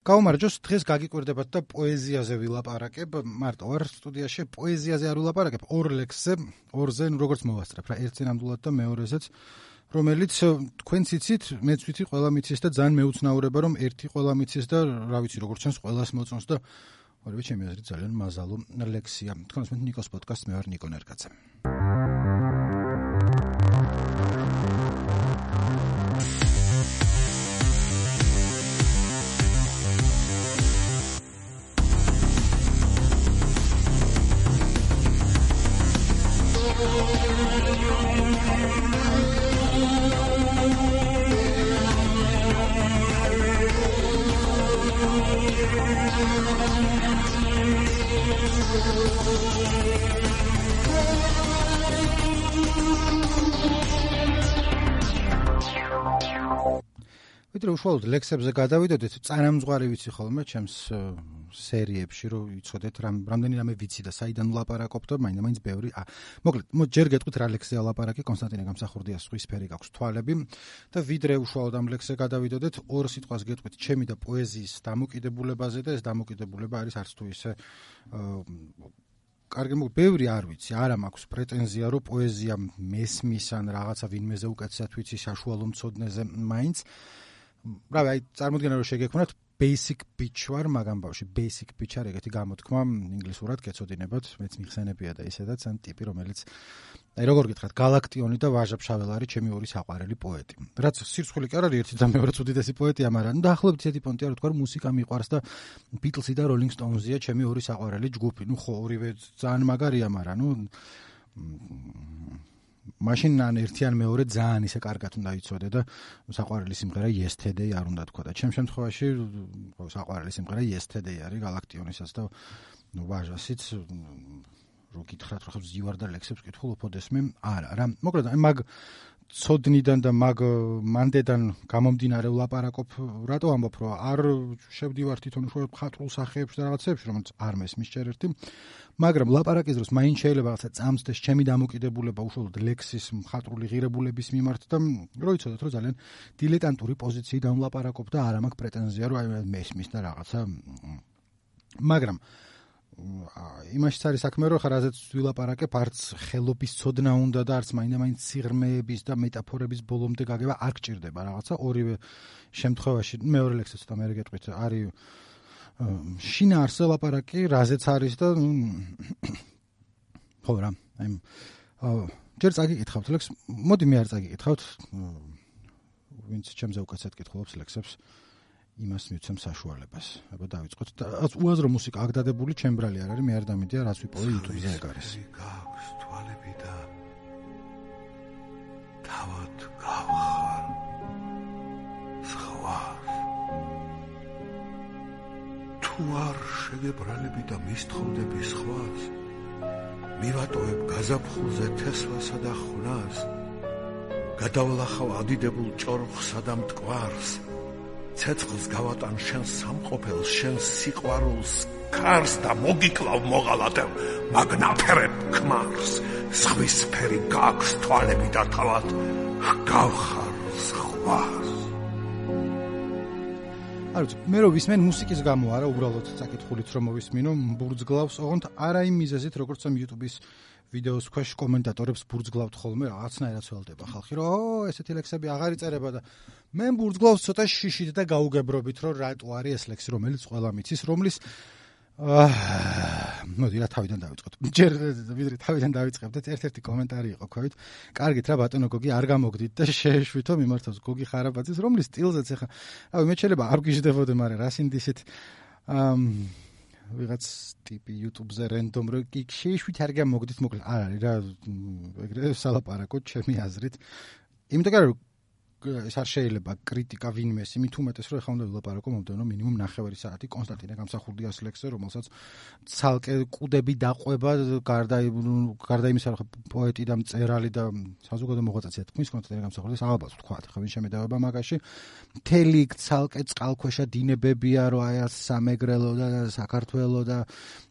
გაუმარჯოს, დღეს გაგიკვირდებათ და პოეზიაზე ვილაპარაკებ, მარტო ვარ სტუდიაში, პოეზიაზე არ ვილაპარაკებ, ორ ლექსზე, ორზე, როგორც მოვასწრებ რა, ერთზე ნამდვილად და მეორეზეც, რომელიც თქვენც იცით, მეც ვიცი, ყველა მიცის და ძალიან მეუცნაურება, რომ ერთი ყველა მიცის და რა ვიცი, როგორც ჩანს, ყველას მოწონს და ორივე ჩემი აზრით ძალიან მაზალო ლექსია. თქვენს მე ნიკოს პოდკასტ, მე ვარ ნიკო ნერგაძე. ვიდრე უშუალოდ ლექსებზე გადავიდოდეთ, წარამძღვარი ვიცი ხოლმე ჩემს სერიებში, რომ იცოდეთ რამდენი ვიცი და საიდან ვლაპარაკობ და მაინც ბევრი. მოკლედ, ჯერ გეტყვით რა ლექსია ვლაპარაკი, კონსტანტინე გამსახურდიას სხვისფერი გაქვს თვალები და ვიდრე უშუალოდ ამ ლექსზე გადავიდოდეთ, ორ სიტყვას გეტყვით ჩემი და პოეზიის დამოკიდებულებაზე და ეს დამოკიდებულება არის არც თუ ისე კარგი, ბევრი არ ვიცი, არა მაქვს პრეტენზია, რომ პოეზია მესმის ან რაღაცა ვინმეზე უკეთესად ვიცი საშუალო მცოდნეზე მაინც. რავი, აი წარმოიდგინე რომ შეგექმნათ basic bitch ვარ, მაგამ ბავში basic bitch არ ეგეთი გამოთქმა ინგლისურად გეცოდინებათ, მეც მიხსენებია და ისედაც ან ტიპი, რომელიც აი როგორ გითხრათ, galaktioni და ვაჟა ფშაველარი ჩემი ორი საყვარელი პოეტი. რაც სირცხვილი კი არ არის ერთი და მეორე უდიდესი პოეტია, მაგრამ ნუ დაახლოებით ისეთი პონტია, რომ თქვა რომ მუსიკა მიყვარს და Beatles-ი და Rolling Stones-ია ჩემი ორი საყვარელი ჯგუფი. ნუ ხო, ორივე ძალიან მაგარია, მაგრამ ნუ მაშინ ან ერთი ან მეორე ძალიან ისე კარგად უნდა იცოდე და საყვარელი სიმღერა Yesterday არ უნდა თქვა და ჩემ შემთხვევაში საყვარელი სიმღერა Yesterday არის galaktionisas და ნუ ვაჟასიც რო გითხრათ რომ ზივარ და ლექსებს კითხულ უფოდესმე არა რა მოკლედ აი მაგ ცოდნიდან და მაგ მანდედან გამომდინარე ვლაპარაკობ რატო ამბობ რომ არ შევდივარ თვითონ უშუალოდ მხატვრულ სახეებში და რაღაცებში რომელიც არ მესმის ჯერ ერთი მაგრამ ლაპარაკის დროს მაინც შეიძლება რაღაცა წამსდეს ჩემი დამოკიდებულება უშუალოდ ლექსის მხატვრული ღირებულების მიმართ და რო იცოდეთ რომ ძალიან დილეტანტური პოზიციიდან ვლაპარაკობ და არ მაქვს პრეტენზია რომ აი მესმის და რაღაცა მაგრამ იმაშიც არის საქმე რომ ხარაზეც ვილაპარაკებ არც ხელობის ცოდნა უნდა და არც მაინდა-მაინც სიღრმეების და მეტაფორების ბოლომდე გაგება არ გჭირდება რაღაცა ორივე შემთხვევაში მეორე ლექსიც ცოტა მე გეტყვით არის შინაარსზე ლაპარაკი რაზეც არის და ხო რა აი ჯერ წაგიკითხავთ ლექს მოდი მე არ წაგიკითხავთ ვინც ჩემზე უკაცეთ კითხულობს ლექსებს იმას მივცემ საშუალებას. აბა დავიწყოთ. უაზრო მუსიკა აქ დადებული ჩემბრალი არ არის, მე არ დამედია რაც ვიპოვე YouTube-ზე ეგ არის. გაქვს თვალები და თავად გავხარ სხვას. თუ არ შეგებრალები და მისთხოვდები სხვას, მივატოვებ გაზაფხულზე თესვასა და ხვნას, გადავლახავ ადიდებულ ჭორხსა და მტკვარს, ცეცხლს გავატან შენ სამყოფელს, შენ სიყვარულს, ქარს და მოგიკლავ მოღალატებ მაგნაფერებ ქმარს, სხვისფერი გაქვს თვალები და თავად გავხარ სხვას. არც მე რო ვისმენ მუსიკის გამო არა უბრალოდ საკითხულით რომ მოვისმინო ბურძგლავს ოღონდ არა იმ მიზეზით როგორც ამ YouTube-ის ვიდეოს ქვეშ კომენტატორებს ბურძგლავთ ხოლმე რაღაცნაირად სველდება ხალხი რომ ესეთი ლექსები აღარ იწერება და მე ბურძგლავს ცოტა შიშით და გაუგებრობით რომ რატო არის ეს ლექსი რომელიც ყველა მიცის რომლის მოდი რა თავიდან დავიწყოთ ჯერ ვიდრე თავიდან დავიწყებდეთ ერთ-ერთი კომენტარი იყო ქვევით კარგით რა ბატონო გოგი არ გამოგდით და შეეშვითო მიმართავს გოგი ხარაბაძის რომლის სტილზეც ახლა რავი მე შეიძლება არ გიждდებოდე მაგრამ რა სინდისით ვიღაც ტიპი YouTube-ზე რენდომ რო კი შეეშვით არ გამოგდით მოკლედ არ არის რა ეგრე სალაპარაკო ჩემი აზრით იმიტომ რომ ეს არ შეიძლება კრიტიკა ვინმეს იმით უმეტეს რომ ეხლა უნდა ვილაპარაკო მომდევნო მინიმუმ 9 საათი კონსტანტინე გამსახურდიას ლექსზე რომელსაც ცალკე კუდები დაყვება გარდა იმისა რომ პოეტი და მწერალი და საზოგადო მოღვაწეა თქმის კონსტანტინე გამსახურდიას ალბათ ვთქვათ ხა ვინ შემედავება მაგაში მთელი ცალკე წყალქვეშა დინებებია რომ აი სამეგრელო და საქართველო და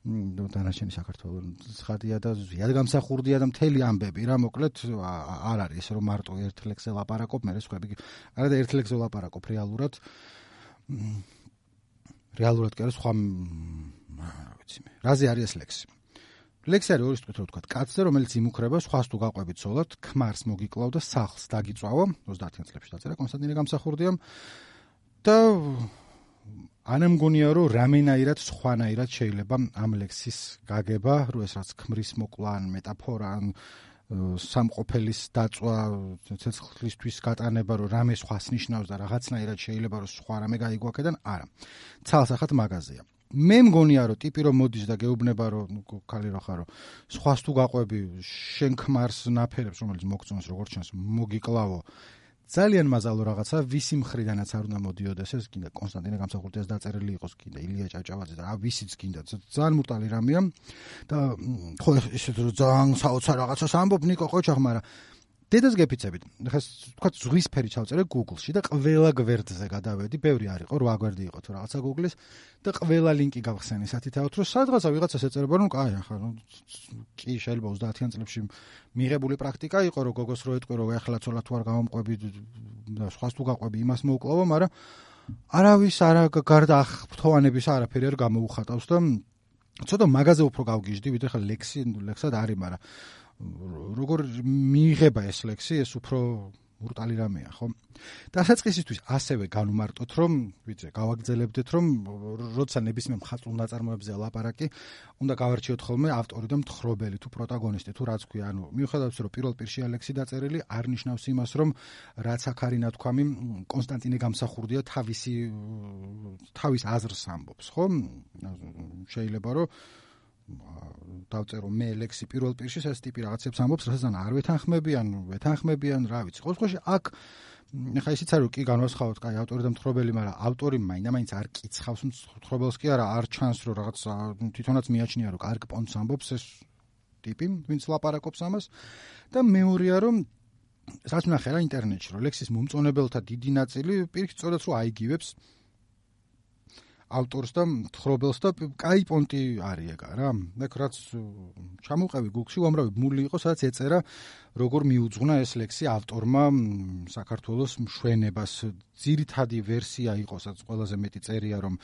დანარჩენი საქართველოს ხადია და ზიად გამსახურდია და მთელი ამბები რა მოკლედ არ არის რომ მარტო ერთ ლექსზე ლაპარაკობ მე სხვა არა და ერთ ლექსზე ლაპარაკობ რეალურად რეალურად კი არის სხვა რა ვიცი მე. რაზე არის ეს ლექსი? ლექსი არის ორი სიტყვით რო ვთქვა, კაცზე, რომელიც იმუქრება სხვას თუ გაყვებით ცოლად, ქმარს მოგიკლავ და სახლს დაგიწვავო, 30-იან წლებში დაწერა კონსტანტინე გამსახურდიამ და არ მგონია რომ რამენაირად სხვანაირად შეიძლება ამ ლექსის გაგება, რომ ეს რაც ქმრის მოკლა ან მეტაფორა ან სამყოფელის დაწვა, ცეცხლისთვის გატანება, რომ რამე სხვას ნიშნავს და რაღაცნაირად შეიძლება რომ სხვა რამე გაიგო აქედან, არა. ცალსახად მაღაზია. მე მგონია რომ ტიპი რომ მოდის და გეუბნება რომ ქალი რო ხარო, სხვას თუ გაყვები, შენ ქმარს ნაფერებს, რომელიც მოგწონს როგორც ჩანს, მოგიკლავო. ძალიან მაზალო რაღაცა, ვისი მხრიდანაც არ უნდა მოდიოდეს ეს, კიდე კონსტანტინე გამსახურდიას დაწერილი იყოს, კიდე ილია ჭავჭავაძე და ვისიც კიდე, ძალიან მუტალი რამეა და ხო ისეთ რომ ძალიან საოცარ რაღაცას ამბობ ნიკო ყოჩახ, მაგრამ დედას გეფიცებით. ხა თქვა ზღვისფერი ჩავწერე Google-ში და ყველა გვერდზე გადავედი, ბევრი არ იყო, 8 გვერდი იყო თუ რაღაცა Google-ის და ყველა ლინკი გავხსენი სათითაოდ, რომ სადღაცა ვიღაცას ეწერება, რომ კაი, ახლა კი შეიძლება 30-იან წლებში მიღებული პრაქტიკა იყო, რომ გოგოს რო ეტყვი, რომ ახლა ცოლად თუ არ გამომყვები და სხვას თუ გაყვები, იმას მოუკლავო, მაგრამ არავის არა გარდა ახლოვანების არაფერი არ გამოუხატავს და ცოტა მაგაზე უფრო გავგიჟდი, ვიდრე ხა ლექსად არის, მაგრამ როგორ მიიღება ეს ლექსი, ეს უფრო ბრუტალი რამეა, ხო? დასაწყისისთვის ასევე განვმარტოთ, რომ ვიცი, გავაგრძელებდეთ, რომ როცა ნებისმიერ მხატვრულ ნაწარმოებზე ლაპარაკი, უნდა გავარჩიოთ ხოლმე ავტორი და მთხრობელი თუ პროტაგონისტი თუ რაც ქვია, ანუ მიუხედავად რომ პირველ პირში ლექსი დაწერილი, არ ნიშნავს იმას, რომ რაც აქ არის ნათქვამი, კონსტანტინე გამსახურდია თავის აზრს ამბობს, ხო? შეიძლება რომ დავწერო მე ლექსი პირველ პირში, ეს ტიპი რაღაცებს ამბობს, რასაც არ ვეთანხმებიან, რა ვიცი. ყოველ შემთხვევაში აქ ხა ისიც არის, კი განვასხვაოთ, კაი, ავტორი და მთხრობელი, მაგრამ ავტორი მაინც არ კიცხავს მთხრობელს კი არა, არ ჩანს რომ რაღაც თვითონაც მიაჩნია რომ კარგ პონტს ამბობს ეს ტიპი, ვინც ლაპარაკობს ამას და მეორეა რომ რაც ნახე რა ინტერნეტში, რომ ლექსის მომწონებელთა დიდი ნაწილი პირიქით სწორად რომ აიგივებს ავტორს და მთხრობელს და კაი პონტი არის ეგა რა. ეგ რაც ჩამოვყევი Google-ში, უამრავი მული იყო, სადაც ეწერა როგორ მიუძღვნა ეს ლექსი ავტორმა საქართველოს მშვენებას. ძირითადი ვერსია იყო, სადაც ყველაზე მეტი წერია, რომ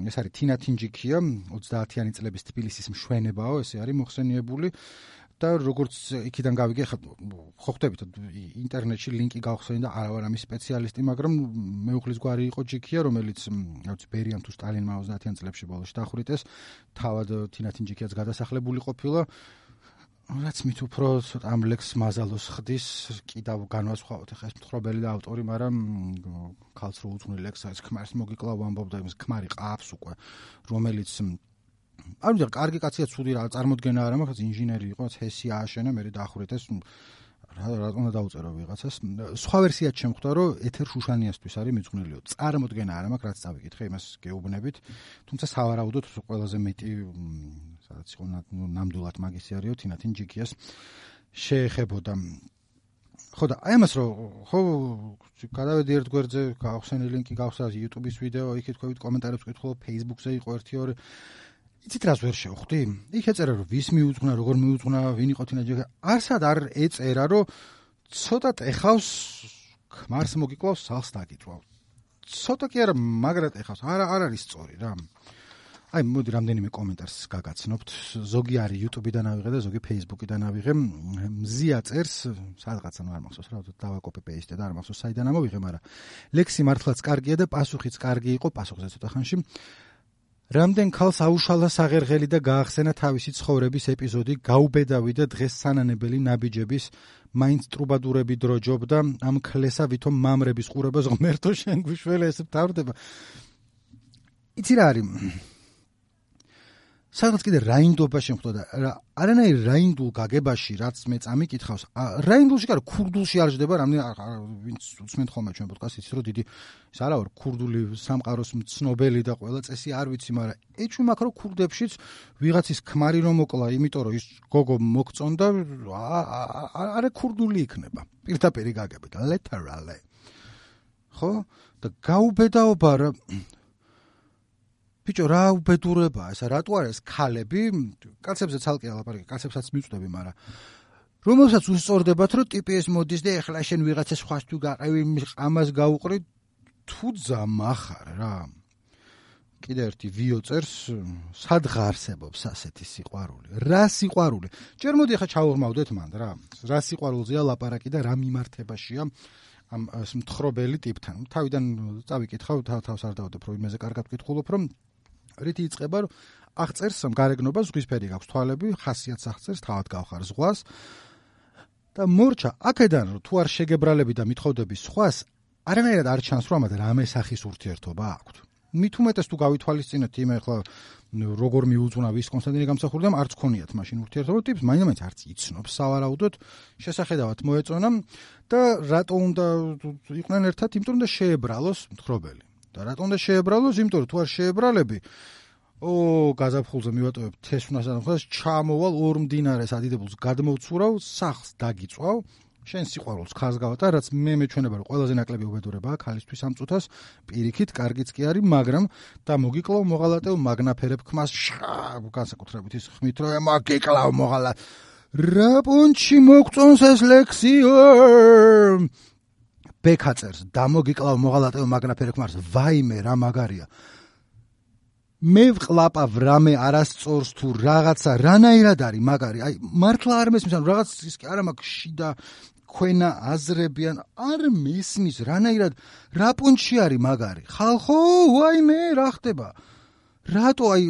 ეს არის თინა თინჯიქია, 30-იანი წლების თბილისის მშვენებაო, ესე არის მოხსენიებული. და როგორც იქიდან გავიგე, ხო ხვდებით ინტერნეტში ლინკი გავხსენი და არა ვარ ამის სპეციალისტი, მაგრამ მეუღლის გვარი იყო ჯიქია, რომელიც რაც ბერიამ თუ სტალინმა 30-იან წლებში ბოლოში დახვრიტეს, თავად თინა თინჯიქიაც გადასახლებული ყოფილა. რაც მით უფრო ამ ლექსს მაზალოს ხდის, კიდევ განვასხვაოთ ახლა ეს მთხრობელი და ავტორი, მაგრამ ქალს რო უძღვნი ლექსს, ეს ქმარს მოგიკლავ ამბობდა, იმის ქმარი ყავს უკვე, რომელიც არ ვიცი, კარგი კაცია, ცუდი რა წარმოდგენა არა, მაგრამ ინჟინერი იყო, ჰესი ააშენა, მე დაახვრიტეს, რა უნდა დაუწერო ვიღაცას. სხვა ვერსიაც შემხვდა, რომ ეთერ შუშანიასთვის არის მიძღვნილიო. წარმოდგენა არა, მაგრამ რაც წავიკითხე, იმას გეუბნებით. თუმცა სავარაუდოდ ყველაზე მეტი, სადაც იყო ნამდვილად მაგისი არისო, თინა თინჯიქიას შეეხებოდა. ხო და აი ამას რომ ხო გადავედი ერთ გვერდზე, გავხსენი ლინკი, გავხსნა YouTube-ის ვიდეო, იქით ყვებით კომენტარებს ვკითხულობ, Facebook-ზე იყო 1-2 იცით რას ვერ შევხვდი? იქ ეწერა რომ ვის მიუძღვნა, როგორ მიუძღვნა, ვინ იყო თინა ჯიქია. არსად არ ეწერა რომ ცოტა ეხავს ქმარს მოგიკლავს, სახლს დაგიწვავ. ცოტა კი არა, მაგრად ეხავს. არ არის სწორი რა. აი მოდი რამდენიმე კომენტარს გაგაცნობთ. ზოგი არის YouTube-დან ავიღე და ზოგი Facebook-დან ავიღე. მზია წერს, სადღაც არ მახსოვს რა, დავაკოპე პეისტე და არ მახსოვს საიდან ამოვიღე, მაგრამ ლექსი მართლაც კარგია და პასუხიც კარგი იყო, პასუხზე ცოტა ხანში. რამდენ ქალს აუშალა საღერღელი და გაახსენა თავისი ცხოვრების ეპიზოდი, გაუბედავი და დღეს სანანებელი ნაბიჯების, მაინც ტრუბადურები დროჯობდა, ამ ქლესა ვითომ მამრების ყურებას ღმერთო შენ გვიშველე ეს მთავრდება. იცი რა არის? სადღაც კიდე რაინდობა შემხვდა და არანაირ რაინდულ გაგებაში, რაც მე წამიკითხავს, რაინდულში კი არა, ქურდულში არ ჯდება, ვინც უსმენთ ხოლმე ჩვენ პოდკასტს, იცით რომ დიდი ის არა ვარ ქურდული სამყაროს მცნობელი და ყველა წესი არ ვიცი, მაგრამ ეჩვი მაქვს რომ ქურდებშიც ვიღაცის ქმარი რომ მოკლა, იმიტომ რომ ის გოგო მოგწონდა, არა ქურდული იქნება. პირდაპირ გაგებით, literally. ხო? და გაუბედაობა რა ბიჭო, რა უბედურებაა ესა, რატო არა ეს ქალები, კაცებზე ცალკე ალაპარაკი, კაცებსაც მიწვდები, მაგრამ რომელსაც უსწორდებათ, რომ ტიპი ეს მოდის და ეხლა შენ ვიღაცას სხვას თუ გაყევი, ამას გაუყრი, თუ ძამახარ რა. კიდე ერთი ვიო წერს, სადღა არსებობს ასეთი სიყვარული. რა სიყვარული? ჯერ მოდი ახლა ჩავღმავდეთ მან რა. რა სიყვარულზეა ლაპარაკი და რა მიმართებაშია ამ მთხრობელი ტიპთან. თავიდან წავიკითხავ, თავს არ დავდებ, რომ იმაზე კარგად ვკითხულობ, რომ რითი იწყება, რომ აღწერს გარეგნობა, ზღვისფერი გაქვს თვალები, ხასიათს აღწერს, თავად გავხარ ზღვას. და მორჩა, აქედან თუ არ შეგებრალები და მithოვდები სხვას, არანაირად არ ჩანს, რომ ამათ რამე სახის ურთიერთობა აქვთ. მით უმეტეს თუ გავითვალისწინებთ იმე ახლა როგორ მიუძღვნა ვის კონსტანტინე გამსახურდამ არც ქონიათ მაშინ ურთიერთობა ტიპს მაინც არც იცნობს სავარაუდოდ შესახედავად მოეწონა და რატო უნდა იყვნენ ერთად იმიტომ რომ შეებრალოს მთხრობელი და რატო უნდა შეებრალოს იმიტომ რომ თუ არ შეებრალები გაზაფხულზე მივატოვებ თესვნას და ხას ჩამოვალ ორ მდინარეს ადიდებულს გადმოვცურავ სახლს დაგიწვავ შენ სიყვარულს ხარს გავატარ, რაც მე მეჩვენება რომ ყველაზე ნაკლები უბედურებაა ქალისთვის ამ წუთას, პირიქით კარგიც კი არის, მაგრამ და მოგიკლავ მოღალატეო მაგნაფერებ ხმას განსაკუთრებით ის ხმით რომ მოგიკლავ მოღალატ რა პუნჩი მოგწონს ეს ლექსიო ბეკაწერს და მოგიკლავ მოღალატეო მაგნაფერებ ხმას ვაიმე რა მაგარია მე ვყლაპავ რამე არასწორს თუ რაღაცა რანაირად არის მაგარი აი მართლა არ მესმის ანუ რაღაც ის კი არა მაქვს შიდა ქვენა აზრებიან არ მესმის რანაირად რა პუნჩი არის მაგარი ხალხო ვაიმე რა ხდება რატო აი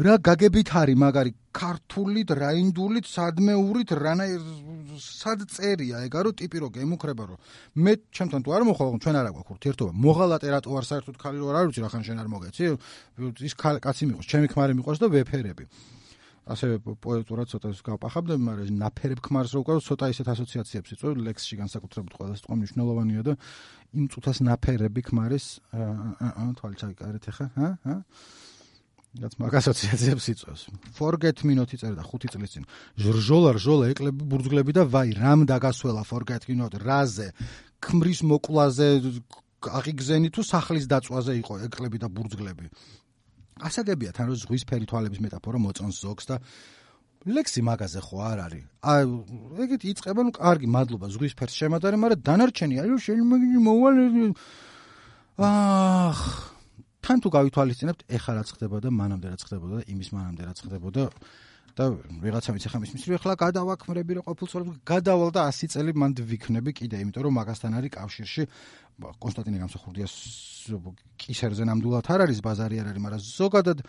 რა გაგებით არის მაგარი ქართულით რაინდულით სადმეურით რანაირ სად წერია ეგა რომ ტიპი რო გემუქრება რომ მე ჩემთან თუ არ მოხვალ ჩვენ არ აგვაქვს ურთიერთობა მოღალატე რატო არ საერთოდ ხალი რო არ ვიცი რახან შენ არ მოგეცი ის კაცი მიყვარს ჩემი ქმარი მიყვარს და ვეფერები ასევე პოეტურად ცოტა გავპახავდები მაგრამ ნაფერებ ქმარს რო უკავ ცოტა ისეთ ასოციაციებს იწვევ ლექსში განსაკუთრებით ყველა სიტყვა მნიშვნელოვანია და იმ წუთას ნაფერები ქმარის თვალი ჩაიკარეთ ახლა რაც მაგ ასოციაციებს იწვევს. Forget me not იწერდა 5 წლის წინ. ჟრჟოლა ეკლები ბურძგლები და ვაი რამ დაგასველა forget me not რაზე ქმრის მოკლაზე აღიგზენი თუ სახლის დაწვაზე იყო ეკლები და ბურძგლები. ასაგებია თან რომ ზღვისფერი თვალების მეტაფორა მოწონს ზოგს და ლექსი მაგაზე ხო არ არის. ეგეთი იწყება ნუ კარგი მადლობა ზღვისფერს შემადარე, მაგრამ დანარჩენი აი რომ შენ მოვალ თან თუ გავითვალისწინებთ, ეხლა რაც ხდებოდა, მანამდე რაც ხდებოდა, იმის მანამდე რაც ხდებოდა და ვიღაცა ვიცი ხა მის რომ ეხლა გადავაქმრები რა ყოფილწოდებს გადავალ და 100 წელი მანდ ვიქნები კიდე, იმიტომ რომ მაგასთან არის კავშირში კონსტანტინე გამსახურდიას კისერზე ნამდვილად არ არის ბაზარი არ არის, მაგრამ ზოგადად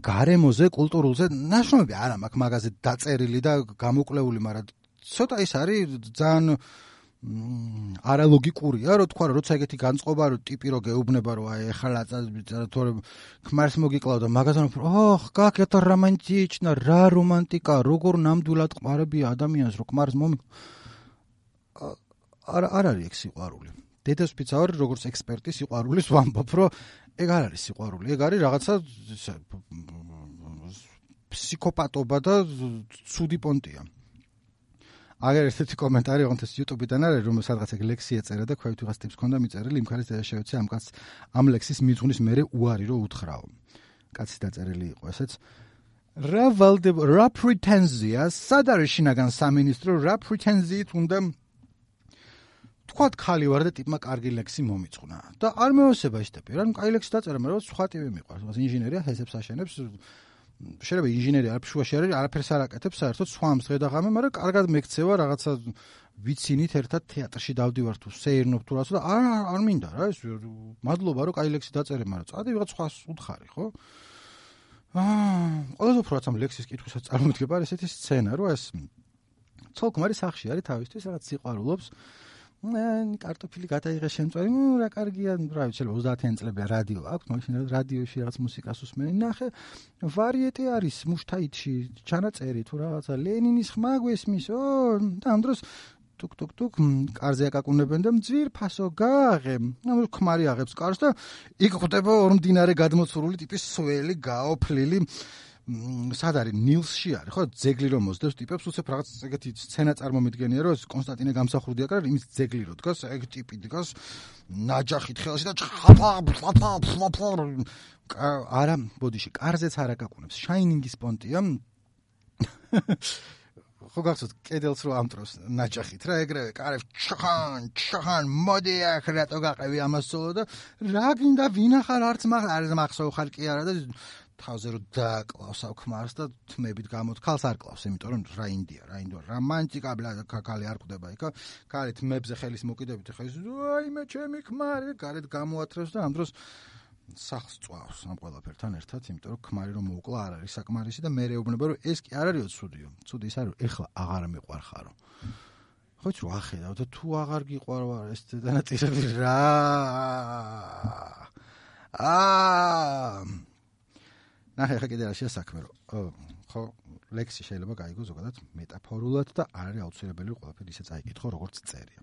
გარემოზე, კულტურულზე ნაშრომები არა მაქვს მაგაზე დაწერილი და გამოკვლეული, მაგრამ ცოტა ის არის ძალიან არალოგიკურია რომ თქვა რომ როცა ეგეთი განწყობა რომ ტიპი რო გეუბნება რომ აი ეხლა თორე ქმარს მოგიკლავ და მაგასთან გაკეთა რომანტიჩნა რა რომანტიკა როგორ ნამდვილად ყმარებია ადამიანს რომ ქმარს არ არის ეგ სიყვარული დედასფიც არის როგორც ექსპერტი სიყვარულის ვამბობ რომ ეგ არ არის სიყვარული ეგ არის რაღაცა ფსიქოპატობა და ცუდი პონტია აგერ ესეთი კომენტარი ოღონდ YouTube-დან არის რომ სადღაც ეგ ლექსი ეწერა და ქვევით ვიღაც ტიპს ქონდა მიწერილი იმ ხარის შეეცე ამ კაცს ამ ლექსის მიძღვნის მერე უარი რო უთხრაო კაცი დაწერილი იყო ესეც რა პრეტენზია სად არის შინაგან სამინისტრო რა პრეტენზიით უნდა თქვათ ხალი ვარ და ტიპმა კარგი ლექსი მომიწყნა და არ მეოსება ის ტიპი რა კაი ლექსი დაწერა მაგრამ სხვა ტიპი მიყვარს ინჟინერია ჰესებს აშენებს შეიძლება ინჟინერი არაფერში არის არაფერს არ აკეთებს საერთოდ სვამს ღედაღამე მაგრამ კარგად მეკცევა რაღაცა ვიცინით ერთად თეატრში დავდივარ თუ სეირნობ თუ რაღაცა და არ მინდა რა ეს მადლობა რომ კაი ლექსი დაწერე მაგრამ წადი ვიღაც სხვას უთხარი ხო ყველაზე უფრო რაც ამ ლექსის კითხვისაც წარმოვიდგება არის ესეთი სცენა რომ ეს ცოლ-ქმარი სახლში არის თავისთვის რაღაც სიყვარულობს კარტოფილი გადაიღე შემწვარი რა კარგია რა ვიცი 30-იან წლებია რადიო აქვს მაშინ რადიოში რაღაც მუსიკას უსმენი ნახე ვარიეტე არის მუშთაითში ჩანაწერი თუ რაღაცა ლენინის ხმა გვესმის და ამ დროს ტუკ კარზე აკაკუნებენ და მძვირფასო გააღე ანუ ქმარი აღებს კარს და იქ ხვდება ორ მდინარე გადმოცურული ტიპის სველი გაოფლილი სად არის ნილსში არის ხო ძეგლი რომ მოსდევს ტიპებს უცებ რაღაც ეგეთი სცენა წარმომიდგენია რომ კონსტანტინე გამსახურდია კარ იმის ძეგლი რო დგას ეგ ტიპი დგას ნაჯახით ხელში და არა ბოდიში კარზეც არ აკაკუნებს შაინინგის პონტია ხო გახსოვთ კედელს რო ამტროს ნაჭახით რა ეგრევე კარებს ჩხან მოდი აქ რატო გაყევი ამას სოლო და რა გინდა ვინახარ არც მახსოვ ხარ კი არა და თავზე რო დაკლავს ამ ქმარს და თმებით გამოთქალს არ კლავს იმიტომ რომ რა ინდია რომანტიკა ბლა კაკალი არ ყვდება იქა კარი თმებზე ხელის მოკიდებით ხა ის აიმე ჩემი ქმარი გარეთ გამოათრევს და ამ დროს სახს წვავს ამ ყველაფერთან ერთად, იმიტომ რომ ქმარი რომ მოუკლა არ არის საკმარისი და მე ეუბნება რომ ეს კი არ არისო ცუდიო. ცუდი ის არის რომ ეხლა აღარ მიყვარხარო. ხო იცი რა ხედავ და თუ აღარ გიყვარვარ ეს დანაწილები რა. ნახე ხა კიდე რა შესაქმე რომ ხო ლექსი შეიძლება გაიგო ზოგადად მეტაფორულად და არ არის აუცილებელი ყველაფერი ისე წაიკითხო როგორც წერია.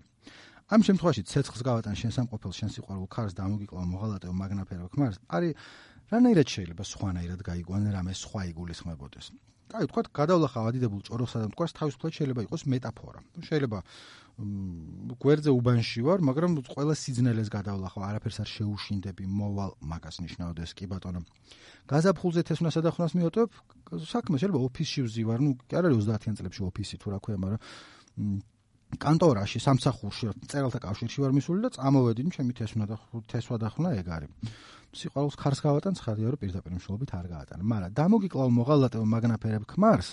ამ შემთხვევაში ცეცხლს გავატან შენ სამყოფელ შენ სიყვარულ ქარს და ამოგიკლავ მოღალატე მაგნაფერო ქმარს არის რანაირად შეიძლება სხვანაირად გაიგონე რამე სხვა იგულისხმებოდეს. კაი ვთქვათ გადავლახავ ადიდებულ ჭოროხსა და მტკვარს თავისუფლად შეიძლება იყოს მეტაფორა. შეიძლება გვერდზე უბანში ვარ, მაგრამ ყველა სიძნელეს გადავლახავ, არაფერს არ შეუშინდები, მოვალ მაგას ნიშნავდეს კი ბატონო. გაზაფხულზე თესვნასა და ხვნას მიოტოვებ, საქმე შეიძლება ოფისში ვზივარ, კი არ არის 30-იან წლებში ოფისი თუ რა ქვია, მაგრამ კანტორაში, სამსახურში, წერალთა კავშირში ვარ მისული და წამოვედინი, ჩემი თესვა და ხვნა ეგ არის. სიყვარულს ქარს გავატან, ცხადია რომ პირდაპირ მნიშვნელობით არ გაატანა, მაგრამ დამოგიკლავ მოღალატე მაგნაფერებ ქმარს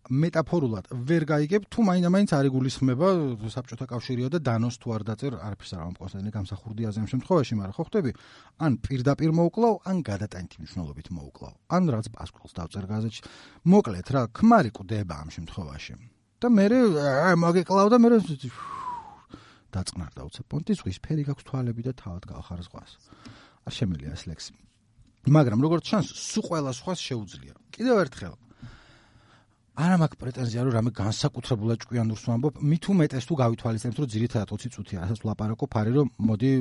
მეტაფორულად ვერ გაიგებ თუ მაინდა-მაინც არ იგულისხმება საბჭოთა კავშირიო და დანოს თუ არ დაწერ არაფერს არ ამკონსტანტინე გამსახურდიაზე ამ შემთხვევაში, მაგრამ ხო ხტები, ან პირდაპირ მოუკლავ, ან გადატანითი მნიშვნელობით მოუკლავ, ან რაც პასკულს დავწერ გაზეთში. მოკლედ რა, ქმარი კვდება ამ შემთხვევაში. და მე მოგიკლავ და მე დაწყნარდა უცებ პონტი ზღვის ფერი გაქვს თვალები და თავად გავხარ ზღვას. არ შემიძლია ეს ლექსი. მაგრამ როგორც ჩანს, სულ ყველა სხვას შეუძლია. კიდევ ერთხელ არა მაქვს პრეტენზია რომ რამე განსაკუთრებულად ჭკვიანურს ვამბობ, მით უმეტეს თუ გავითვალისწინებთ რომ ძირითადად 20 წუთია, რასაც ვლაპარაკობ, არის რომ მოდი